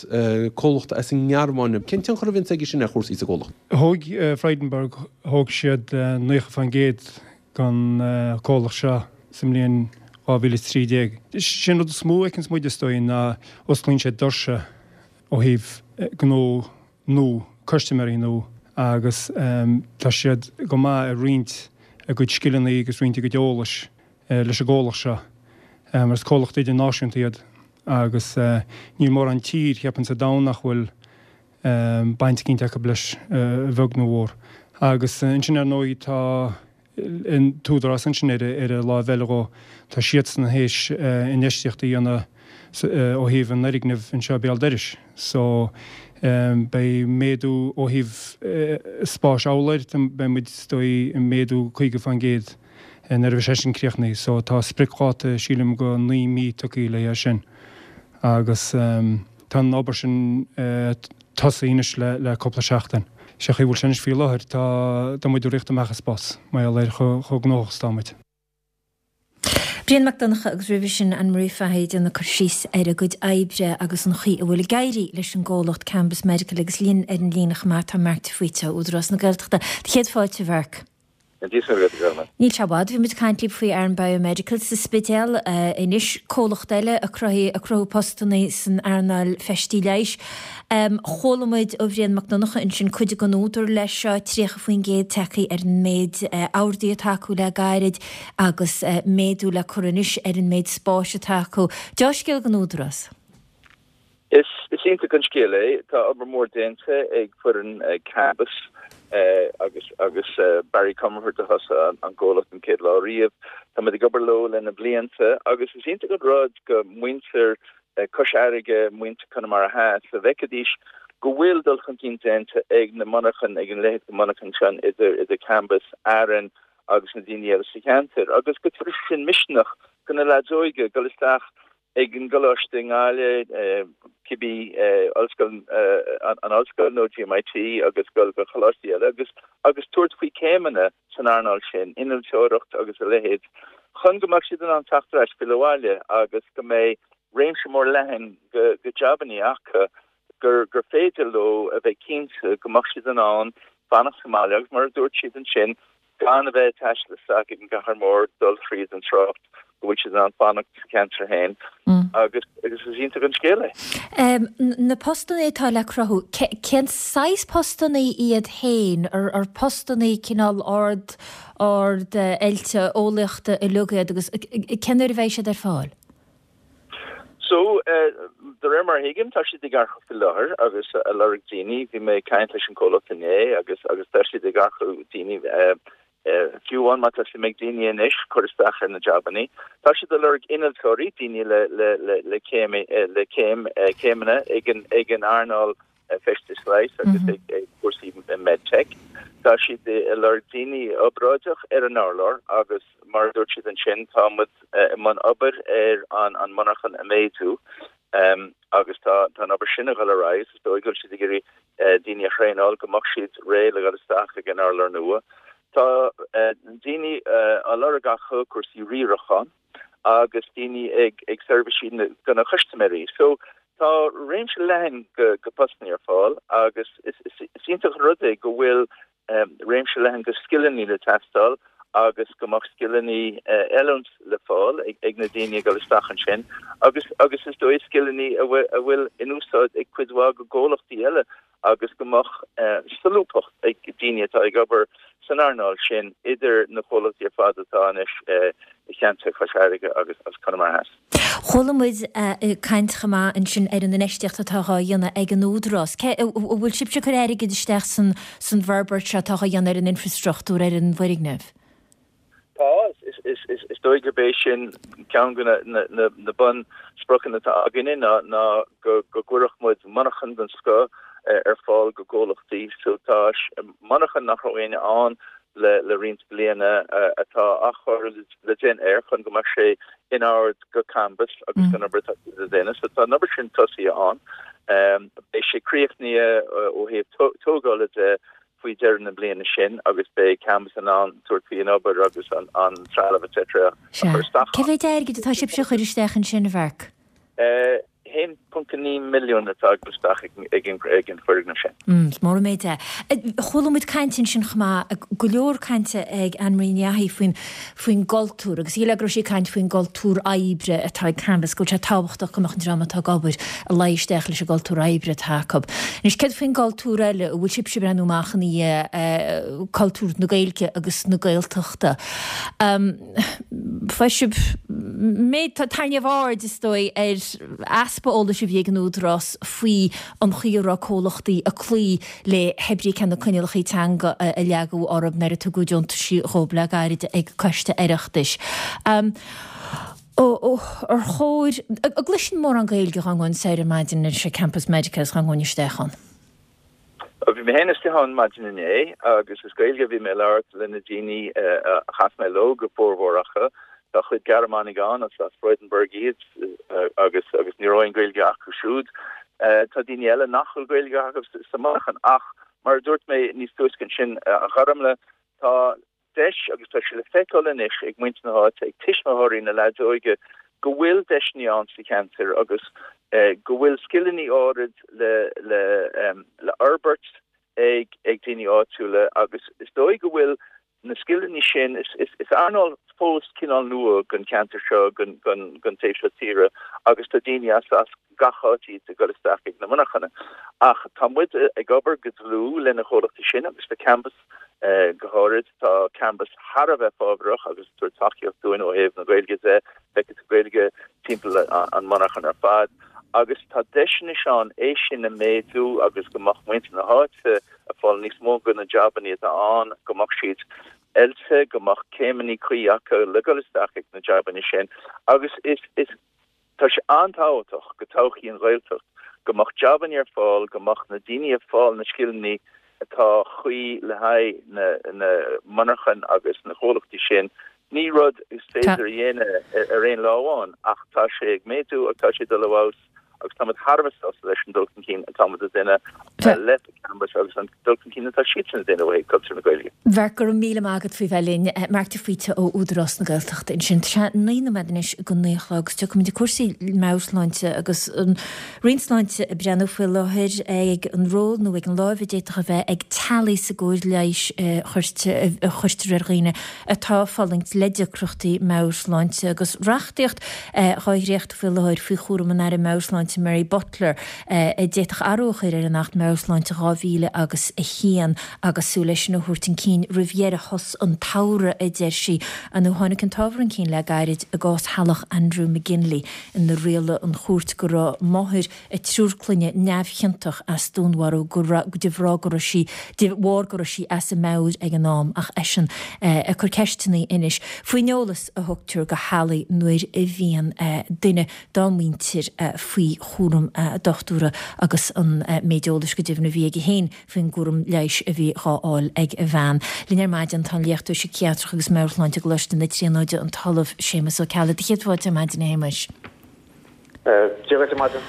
comhlacht as an nGearmáin, cén tionchar a bhíonns aige sin ar chúrsaí sa gcomhlacht? Thóg Frydenberg, thóg siad naocha faoin gcéad den chomhlacht seo sa mbliain dhá mhíle is trí déag. Sin rud is mó a fheiceanns muid is dóigh ná osclaíonn sé doirse ó thaobh gnó nua, custaiméirí nua agus tá siad go maith ag roinnt a gcuid scileanna agus roinnt a gcuid eolais leis an gcomhlacht seo mar is comhlacht idirnáisiúnta iad agus níl mórán tír, cheapfainn, sa domhan nach bhfuil baint eicínt acu leis, a bheag nó a mhór. Agus ansin ar ndóigh tá an tÚdarás ansin ar an láimh eile dhó, tá siadsan théis infheistíocht a dhéanamh ó thaobh an fhoirgnimh anseo béal dorais. So beidh méadú ó thaobh spáis urláir, beidh muid is dóigh ag méadú caoga faoin gcéad nuair a bheidh sé sin críochnaithe. So tá spriocdháta sílim go naoi mí tugtha le haghaidh sin agus tá an obair sin tosaithe anois le cúpla seachtain. Sé an chaoi a bhfuil sé anois faoi láthair, tá tá muid ag rith amach as spás, mar gheall ar chomh gnóthach is atá muid. Brian Mac Donncha agus roimhe sin Anne Marie Fahy ag déanamh cur síos ar a gcuid oibre agus an chaoi a bhfuil ag éirí leis an gcomhlacht Cambus Medical agus linn ar an líne chomh maith tá Mark de Faoite ó Údarás na Gaeltachta. Do chéad fáilte, a Mharc. Níl sé i bhfad, bhí muid ag caint libh faoi Aran Biomedical sa Spidéal. Anois, comhlacht eile ag cruthú postanna san earnáil feistí leighis. Chuala muid ó Bhrian Mac Donncha ansin cuid den údar leis seo, tríocha faoin gcéad tagtha ar an méid orduithe atá acu le gairid agus méadú le cur anois ar an méid spáis atá acu. Deá-scéal don Údarás. Is iontach an scéal é. Tá obair mhór déanta ag foireann Cambus agus agus Barry Comerford a thosaigh an gcomhlacht an chéad lá riamh. Tá muid ag obair leo le na blianta agus is iontach an rud go muintir Cois Fharraige, muintir Conamara Theas, a bhfeicfidís go bhfuil dul chun cinn déanta ag na monarchain, ag an leithéid de monarchain sin idir idir Cambus, Aran agus na daoine eile sa cheantar agus go dtabharfaidh sin misneach go na leaids óige dul isteach ag an gcoláiste i nGaillimh, cibé ollscoil, an ollscoil nó GMIT agus dul go coláistí eile agus agus tabhairt faoi céimeanna san earnáil sin, innealtóireacht agus a leithéid, chun go mbeadh siad in ann teacht ar ais filleadh abhaile agus go mbeidh réimse mór leathan go go jabannaí acu gur gur féidir leo a bheith cinnte go mbeadh siad in ann fanacht sa mbaile agus mar a dúirt siad ansin gan a bheith ag taisteal isteach ag an gcathair mhór, dul thríd an trácht, go bhfuil siad in ann fanacht sa cheantar féin agus agus is iontach an scéal é. Na postanna atá le cruthú, cén saghas postanna iad féin? Ar postanna cineál ard ard oilte eolaíochta uilig iad agus cén uair a bheidh siad ar fáil? So, de réir mar a thuigim, tá siad ag earcú faoi láthair agus ag lorg daoine. Bhí mé ag caint leis an comhlacht inné agus agus tá siad ag earcú daoine, fiú amháin má tá suim ag daoine anois cur isteach ar na jabannaí. Tá siad ag lorg innealtóirí, daoine le le le le céim le céim céimeanna ag an ag an earnáil feistis leighis agus ag cúrsaí medtech. Tá siad ag lorg daoine obráideach ar an urlár agus mar a dúirt siad ansin, tá muid i mbun obair ar an monarchan a mhéadú agus tá an obair sin ag dul ar aghaidh agus is dóigh go bhfuil siad ag iarraidh daoine a thraenáil go mbeadh siad réidh le dhul isteach ag an urlár nua. Tá daoine á lorg acu cúrsaí riaracháin agus daoine ag seirbhísí do na custaiméirí. So tá réimse leathan go postannaí ar fáil agus is iontach an rud é go bhfuil réimse leathan go scileannaí le teastáil agus go mbeadh scileannaí oiliúint le fáil ag na daoine ag dul isteach ansin agus agus is dóigh scileannaí a bhfuil in úsáid ag cuid mhaith go gcomhlachtaí eile agus go mbeadh solúbthacht ag daoine atá ag obair san earnáil sin idir na comhlachtaí ar fad atá anois i cheantar Chois Fharraige agus as Conamara Theas. Chuala muid caint chomh maith ansin ar an infheistíocht atá dhá dhéanamh ag an Údarás. Cé, an bhfuil sibhse ag cur airgid isteach san san bhforbairt seo atá dhá dhéanamh ar an infreastruchtúr, ar an bhfoirgneamh? Tá, is dóigh gurb é sin ceann de na bun spriocanna atá againne ná go gcuirfeadh muid monarchan den scoth ar fáil go gcomhlachtaí so tá monarchan nach raibh éinne ann le le roinnt bliana atá athchóiriú le déanamh air chun go mbeadh sé in ord go Cambus agus don obair atá le déanamh. So tá an obair sin tosaithe ann. Beidh sé críochnaithe ó thaobh tógála de faoi dheireadh na bliana sin agus beidh Cambus in ann tabhairt faoin obair agus an an trealamh etc. a chur isteach Cé mhéad airgid atá sibhse a chur isteach ansin, a Mharc? haon ponc a naoi milliún atá ag dul isteach ag an foirgneamh sin. Is mór an méid é. Chuala muid caint ansin chomh maith, go leor cainte ag Anne Marie Ní Fhathaigh faoin faoin gcultúr agus shílfeá go raibh sí ag caint faoin gcultúr oibre atá ag Cambus, go bhfuil sé tábhachtach go mbeadh an dream atá ag obair ag luí isteach leis an gcultúr oibre atá acu. Anois céard faoin gcultúr eile, an bhfuil sibhse ag breathnú amach ina dhiaidh cultúr na Gaeilge agus na Gaeltachta? Fuair sibh méid, tarraingíodh aird is dóigh ar easpa eolais a bhí ag an Údarás faoi an chaoi a raibh comhlachtaí ag cloí le hé cé na coinníollacha teanga a leagadh orthu nuair a tugadh deontaisí dhóibh le gairid ag Coiste Oireachtais. Ar chóir, an gcloisinn mórán Gaeilge dhá ngabhainn soir ar maidin anois ag Campus Medical is dhá ngabhainn isteach ann? Bhí mé féin istigh ann maidin inné agus is Gaeilge a bhí mé ag labhairt le na daoine a chas mé leo go formhór acu. Tá cuid Gearmánaigh ann, as as Freudenberg iad agus agus ní raibh aon Ghaeilge acu siúd. Tá daoine eile nach bhfuil Gaeilge acu sa monarchan ach mar a dúirt mé níos túisce ansin, a Ghormfhlaith, tá deis agus tá sé le feiceáil anois ag muintir na háite, ag tuismitheoirí na leaids óige go bhfuil deiseanna ann sa cheantar agus go bhfuil scileanna áirid le le le fhorbairt ag ag daoine áitiúla agus is dóigh go bhfuil na scileanna sin, is is is earnáil fós cineál nua don cheantar seo, don don don taobh seo tíre agus tá daoine as as gach áit iad ag dul isteach ag na monarchana. Ach tá muid ag obair go dlúth le na comhlachtaí sin agus le Cambus go háirid. Tá Cambus thar a bheith fábharach agus ag tabhairt tacaíocht dúinn ó thaobh na Gaeilge de, feicfidh tú Gaeilge timpeall an monarchan ar fad. Agus tá deis anois ann é sin a mhéadú agus go mbeadh muintir na háite ag fáil níos mó de na jabanna atá ann, go mbeadh siad oilte, go mbeadh céimeanna cuí acu le dul isteach ag na jabanna sin. Agus is, is. Tá sé an-tábhachtach go todhchaí an Ghaeltacht go mbeadh jabanna ar fáil, go mbeadh na daoine ag fáil na scileanna atá cuí le haghaidh na na monarchan agus na comhlachtaí sin. Ní rud is féidir a dhéanamh ar aon lá amháin ach tá sé ag méadú agus tá sé ag dul i bhfeabhas agus táimid thar a bheith sásta leis an dul chun cinn atá muid a dhéanamh le Cambus agus an dul chun cinn atá siadsan a dhéanamh ó thaobh cultúr na Gaeilge. Mharc, go raibh míle maith agat faoi bheith linn. Marc de Faoite ó Údarás na Gaeltachta ansin. Tá sé naoi nóiméad anois go naoi a chlog agus tiocfaimid ag cúrsaí meabhairshláinte agus an Roinn Sláinte ag breathnú faoi láthair ag an ról nó ag an láimh a d'fhéadfadh a bheith ag teaghlaigh sa gcóir leighis a chuirtear ar dhaoine atá ag fulaingt le deacrachtaí meabhairshláinte agus reachtaíocht dhá dhréachtú faoi láthair faoi chúram an Aire Meabhairshláinte Mary Butler a d'fhéadfadh athrú a chur ar an Acht Meabhairshláinte dhá mhíle agus a haon agus súil leis sin a thabhairt chun cinn roimh dheireadh shos an tsamhraidh, a deir sí. Nó tháinig an t-ábhar chun cinn le gairid i gcás theaghlach Andrew McGinley inar rialaigh an chúirt go raibh máthair a triúr clainne neamhchiontach as dúnmharú go raibh de bharr go raibh sí de bharr go raibh sí as a meabhair ag an am ach eisean ag cur ceisteanna anois faoin eolas a thugtar do theaghlaigh nuair a bhíonn duine dá muintir faoi chúram dochtúra agus an méid eolais go deimhin a bhí aige féin faoin gcúram leighis a bhí dhá fháil ag a bhean. Linn ar maidin tá an léachtóir síciatrach agus meabhairshláinte i gColáiste na Tríonóide, an tOllamh Séamus Ó Ceallaigh. Céad fáilte ar maidin, a Shéamuis. Dia dhuit ar maidin.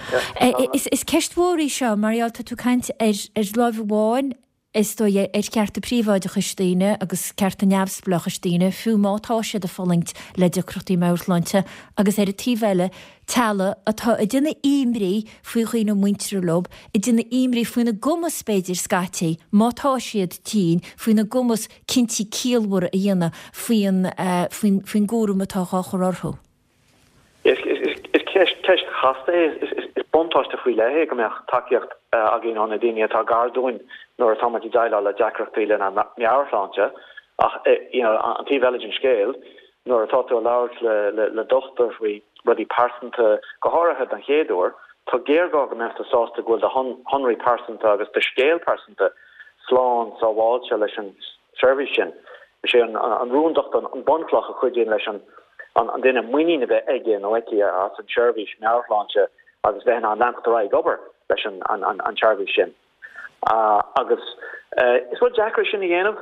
Is ceist mhór í seo, mar gheall, tá tú ag caint ar láimh amháin, is dóigh, ar chearta príobháideachais daoine agus cearta neamhspleáchais daoine, fiú má tá siad ag fulaingt le deacrachtaí meabhairshláinte, agus ar an taobh eile, teaghlaigh atá ag déanamh imní faoi dhaoine muinteartha leo, ag déanamh imní faoina gcumas, b'fhéidir, scaití, má tá siad tinn, faoina gcumas cinntí ciallmhara a dhéanamh faoin, faoin, faoin gcúram atá dhá chur orthu. Is ceist chasta é. Is buntáiste faoi leith é go mbeadh tacaíocht againn ó na daoine atá gar dúinn nuair atá muid ag déileáil le deacrachtaí lenár meabhairshláinte. Ach an taobh eile den scéal, nuair atá tú ag labhairt le dochtúir faoi rudaí pearsanta, go háirithe den chéad uair, tá géarghá go mbeadh tú sásta go bhfuil do shonraí pearsanta agus do scéal pearsanta slán sábháilte leis an seirbhís sin. Is é an rúndacht an bunchloch a chuidíonn leis an duine muinín a bheith aige nó aici as an tseirbhís meabhairshláinte agus bheith in ann leanacht ar aghaidh ag obair leis an tseirbhís sin. Agus is rud deacair é sin a dhéanamh,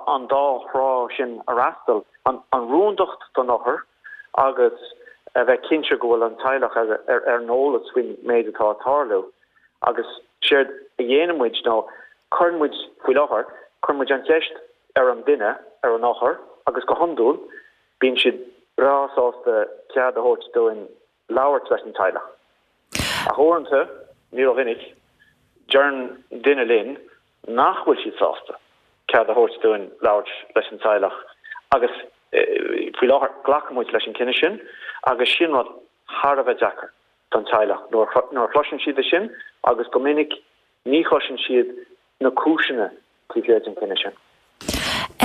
an dá thrá sin a fhreastal, an rúndacht don othar agus a bheith cinnte go bhfuil an teaghlach ar an eolas faoin méid atá ag tarlú. Agus séard a dhéanann muid ná cuireann muid, faoi láthair, cuireann muid an cheist ar an duine, ar an othar, agus go hiondúil bíonn siad breá sásta cead a thabhairt dúinn labhairt leis an teaghlach. Ach uaireanta, ní rómhinic, deireann duine linn nach bhfuil siad sásta cead a thabhairt dúinn labhairt leis an teaghlach agus faoi láthair glacann muid leis an cinneadh sin agus sin rud thar a bheith deacair don teaghlach nuair a chloiseann siad é sin agus go minic ní chloiseann siad na cúiseanna taobh thiar den chinneadh sin.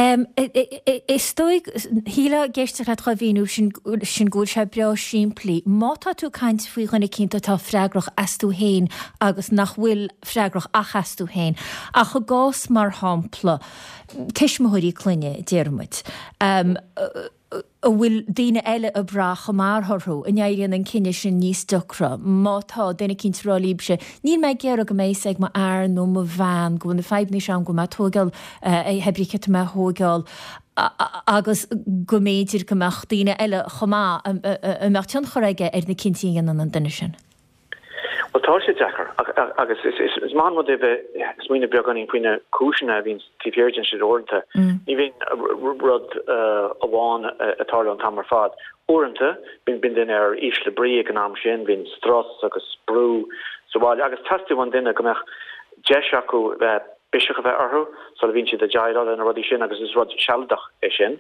Is dóigh, shílfeá ag éisteacht leat dhá mhíniú sin sin go bhfuil sé breá simplí. Má tá tú ag caint faoi dhuine eicínt atá freagrach astu féin agus nach bhfuil freagrach ach astu féin, ach i gcás mar shampla tuismitheoirí clainne, déarfaidh muid, a bhfuil daoine eile ag brath chomh maith orthu, an éiríonn an cinneadh sin níos deacra má tá duine eicínt ag rá libhse, níl mé ag iarraidh go mbeidh fhios ag mo fhear nó mo bhean go bhfuil na fadhbanna seo agam, go bhfuil mé ag tóigeáil, pé brí cé tá mé a thóigeáil agus go mb'fhéidir go mbeadh daoine eile chomh maith a mbeadh tionchar aige ar na cinntí a dhéanann an duine sin. Bhuel, tá sé deacair agus is maith an rud é bheith ag smaoineamh beagáinín faoi na cúiseanna a bhíonn taobh thiar den sin uaireanta. Ní bhíonn rud amháin ag tarlú an t-am ar fad. Uaireanta, bíonn duine ar ísle brí ag an am sin, bíonn strus agus brú sa bhaile agus teastaíonn ón duine go mbeadh deis acu biseach a bheith orthu sula bhíonn siad ag déileáil le na rudaí sin agus is rud sealadach é sin.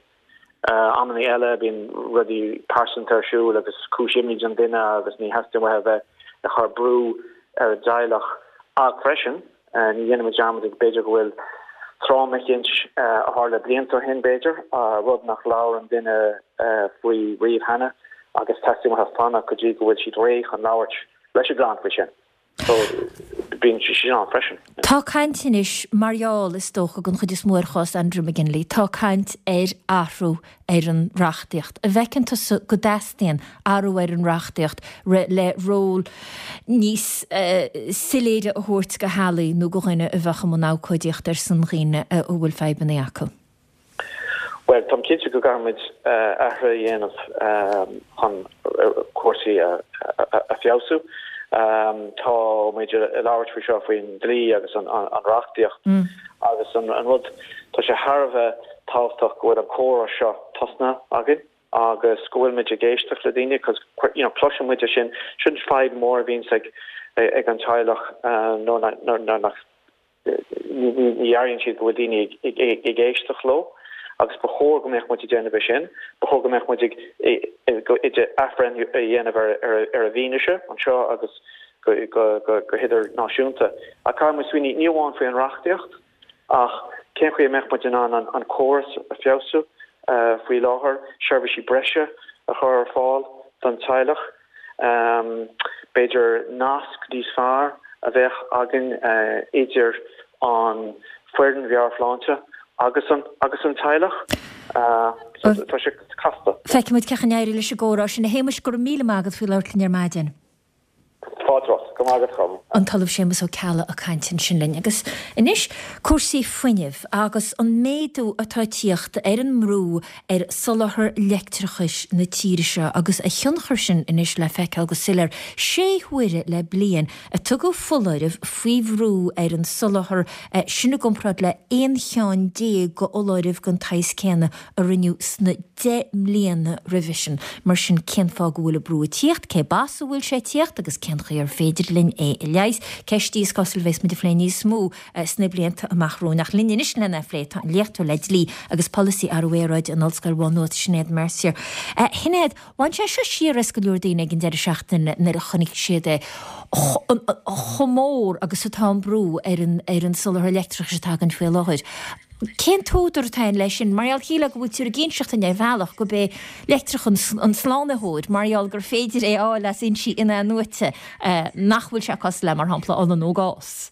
Amanna eile bíonn rudaí pearsanta ar siúl agus cúis imní don duine agus ní theastaíonn uathu a bheith ag cur brú ar a dteaghlach. Ach freisin, ní dhéanaimid dearmad b'fhéidir go bhfuil tráma eicínt a tharla blianta ó shin b'fhéidir, rud nach labhair an duine faoi riamh cheana agus teastaíonn uathu fanacht go dtí go bhfuil siad réidh chun labhairt leis an gclann faoi sin. So, bíonn sé sin ann freisin. Tá caint anois, mar gheall, is dócha, den chuid is mó ar chás Andrew McGinley, tá caint ar athrú ar an reachtaíocht. An bhfeiceann tusa go dteastaíonn athrú ar an reachtaíocht le ról níos soiléire a thabhairt do theaghlaigh nó do dhuine a bheadh i mbun abhcóidíochta ar son dhaoine a bhfuil fadhbanna acu? Bhuel, táim cinnte go gcaithfimid athruithe a dhéanamh chun cúrsaí a feabhsú. Tá muid ag labhairt faoi seo faoin dlí agus an reachtaíocht agus an rud, tá sé thar a bheith tábhachtach go bhfuil an comhrá seo tosnaithe againn agus go bhfuil muid ag éisteacht le daoine cos you know cloiseann muid é sin, sin fadhb mór a bhíonns ag ag an teaghlach nuair nach Ní airíonn siad go bhfuil daoine ag éisteacht leo agus ba chóir go mbeadh muid ag déanamh é sin. Ba chóir go mbeadh muid ag athbhreithniú a dhéanamh ar an bhfianaise anseo agus go hidirnáisiúnta. Ach caithfidh muid smaoineamh ní amháin faoi an reachtaíocht ach cén chaoi a mbeadh muid in ann an córas a feabhsú faoi láthair, seirbhísí breise a chur ar fáil don teaghlach. B'fhéidir nasc níos fearr a bheadh againn idir an foireann mheabhairshláinte agus an agus an teaghlach. So tá sé casta. Feicfidh muid cén chaoi a n-éireoidh leis an gcomhrá sin. A Shéamais, go raibh míle maith agat faoi labhairt linn ar maidin. Fáilte romhat. Go raibh maith agat, Colm. An tOllamh Séamus Ó Ceallaigh ag caint ansin linn. Agus anois cúrsaí fuinnimh agus an méadú atá ag tíocht ar an mbrú ar soláthar leictreachais na tíre seo agus a thionchar sin anois le feiceáil go soiléir. Sé huaire le bliain a tugadh foláireamh faoi bhrú ar an soláthar, sin i gcomparáid le aon cheann déag de fholáirimh den tsaghas céanna a rinneadh sna deich mbliana roimhe sin. Mar sin, cén fáth go bhfuil an brú ag tíocht, cé b'as a bhfuil sé ag tíocht agus cén chaoi ar féidir linn é a leigheas? Ceist í is cosúil a bheas muid ag plé níos mó sna blianta amach romhainn. Ach linn anois lena phlé tá an léachtóir le dlí agus polasaí athrú aeráide in Ollscoil Mhá Nuad, Sinéad Mercier. A Shinéad, bhain sé seo siar as go leor daoine ag an deireadh seachtaine nuair a chonaic siad é chomh mór agus atá an brú ar an ar an soláthar leictreachais atá againn faoi láthair. Cén t-údar atá ann leis sin? Mar gheall, shílfeá go bhfuiltear ag inseacht dúinn ar bhealach gurb é leictreachas an slánaitheoir, mar gheall gur féidir é a fháil as fhoinsí in-athnuaite, nach bhfuil sé cosúil le, mar shampla, ola nó gás.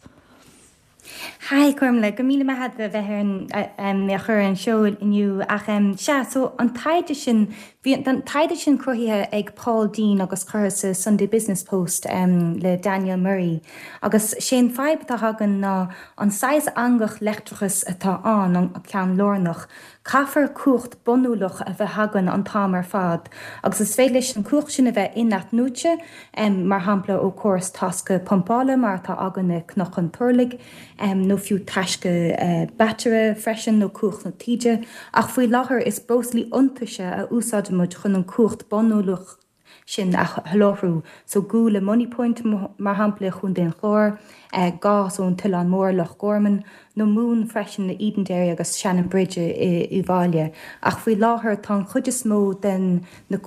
Hi Gormla, go míle maith agat a bheith ar an mé a chur ar an seó inniu ach sea, so an taighde sin, bhí an taighde sin cruthaithe ag Paul Deane agus curtha sa Sunday Business Post le Daniel Murray agus sé an fadhb atá againn ná an saghas eangach leictreachais atá ann, an ceann lárnach, Caithfear cumhacht bunúlach a bheith againn an t-am ar fad, agus is féidir leis an chumhacht sin a bheith in-athnuaite, mar shampla ó chóras taisce pumpála mar atá againn i Cnoc an Turlaigh, nó fiú taisce bataire freisin, nó cumhacht na taoide, ach faoi láthair is breoslaí iontaise a úsáidimid chun an chumhacht bunúlach sin a sholáthrú, so gual i Moneypoint, mar shampla, i Chontae an Chláir, gás ón tOileán Mór, Loch Gorman, nó móin freisin i Edenderry agus Shannonbridge i Uíbh Fhailí. Ach faoi láthair tá an chuid is mó den na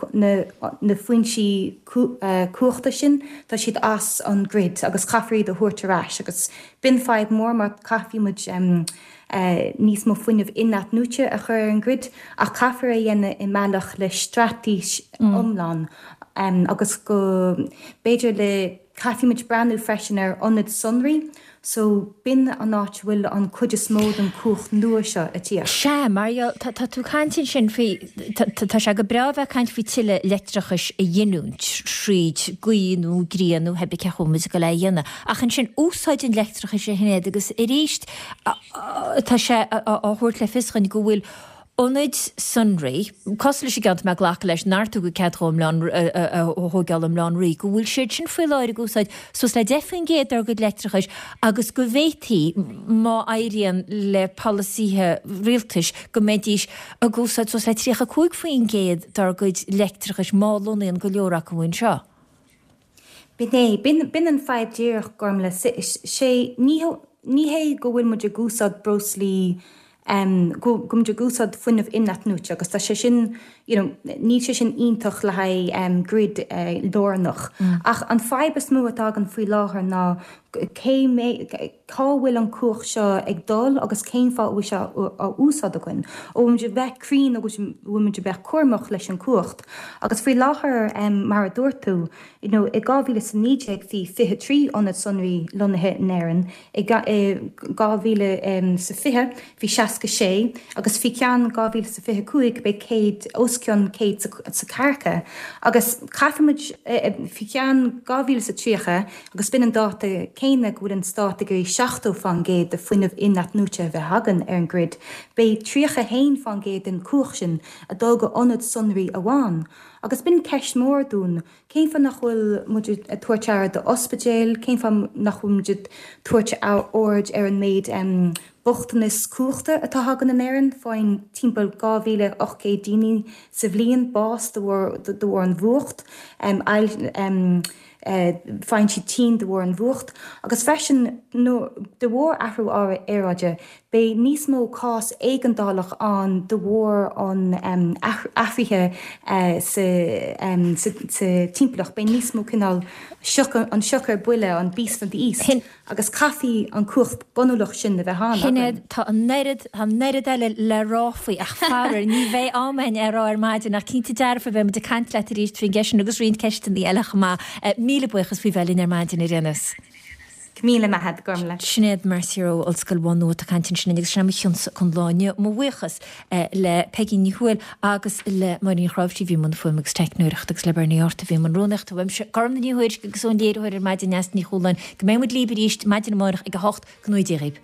na foinsí cumhachta sin, tá siad as an grid agus caithfear iad a thabhairt ar ais agus b'in fadhb mór mar caithfidh muid níos mó fuinnimh in-athnuaite a chur ar an grid, ach caithfear é a dhéanamh i mbealach le straitéis iomlán agus go b'fhéidir le caithfidh muid breathnú freisin ar ionaid sonraí so b'in an áit a bhfuil an cuid is mó den cumhacht nua seo ag tíocht. Sea, mar gheall, tá tú ag caint ansin faoi, tá sé go breá a bheith ag caint faoi tuilleadh leictreachais a ghiniúint thríd gaoth nó grian nó pé ar bith cén chaoi a bhfuil muid ag dul é a dhéanamh, ach ansin úsáid an leictreachais a Shinéad agus arís tá sé á thabhairt le fios dhúinn go bhfuil ionaid sonraí, cosúil leis an gceann atá mé ag glacadh leis nár tugadh cead dhó i mBleá, a thóigeáil i mBleá an Rí, go bhfuil siad sin faoi láthair ag úsáid suas le deich faoin gcéad dár gcuid leictreachais agus go bhféadfaí, má éiríonn le polasaithe rialtais, go mbeidís ag úsáid suas le tríocha cúig faoin gcéad dár gcuid leictreachais má lonnaíonn go leor acu anseo. B'in é. B'in an fadhb díreach, Gormlaith. Sé, ní ní hé go bhfuil muid ag úsáid breoslaí, go bhfuil muid ag úsáid fuinneamh in-athnuaite agus tá sé sin, you know, níl sé sin iontach le haghaidh grid lárnach. Ach an fadhb is mó atá againn faoi láthair ná cé mé, cá bhfuil an cumhacht seo ag dul agus cén fáth a bhfuil sé á úsáid againn. An bhfuil muid ag bheith cruinn agus an bhfuil muid ag bheith cúramach leis an cumhacht. Agus faoi láthair, mar a dúirt tú, you know, i dhá mhíle is a naoi déag bhí fiche trí ionad sonraí lonnaithe in Éirinn, i dhá mhíle is a fiche bhí seasca sé agus faoi cheann dhá mhíle is a fiche cúig beidh céad, os cionn céad is ceathracha. Agus caithfidh muid, faoi cheann dhá mhíle is a tríocha, Agus b'in an dáta céanna go bhfuil an stát ag iarraidh seachtó fán gcéad de fuinneamh in-athnuaite a bheith againn ar an grid, beidh tríocha a haon fán gcéad den chumhacht sin ag dul go ionad sonraí amháin. Agus b'in ceist mór dúinn, cén fáth nach bhfuil muid ag tabhairt aire d'ospidéil, cén fáth nach bhfuil muid ag tabhairt aird ar an méid bochtanas cumhachta atá againn in Éirinn, faigheann timpeall dhá mhíle ocht gcéad daoine sa bhliain bás de bharr an bhfuacht. Faigheann siad tinn de bharr an bhfuacht agus freisin de bharr athrú aeráide beidh níos mó cás éigeandálach ann de bharr an athraithe sa timpeallacht, beidh níos mó cineál sioc, an sioc ar buile, an beast from the east. Agus caithfidh an cumhacht bunúlach sin a bheith ann againn. Sinéad, tá an oiread, tá an oiread eile le rá faoi ach faraor ní bheidh am againn é a rá ar maidin ach cinnte dearfa beidh muid ag caint leat arís faoin gceist sin agus roinnt ceisteanna eile chomh maith. Míle buíochas faoi bheith linn ar maidin ar aon nós. Go míle maith agat, Gormlaith. Sinéad Mercier ó Ollscoil Mhá Nuad ag caint ansin agus sin é mo chionsa don lá inniu. Mo bhuíochas le Peigí Ní Thuathail agus le Máirín Ní Chráimhsí a bhí i mbun fuaime agus teicneoireachta agus le Bernie Arthur a bhí i mbun rúnaíochta. Uaimse, Gormlaith Ní Thuairisg agus ón léiritheoir ar maidin Neasa Ní Chualáin. Go mbeidh muid libh arís maidin amárach ag a hocht. Go ngnóthaí Dia dhaoibh.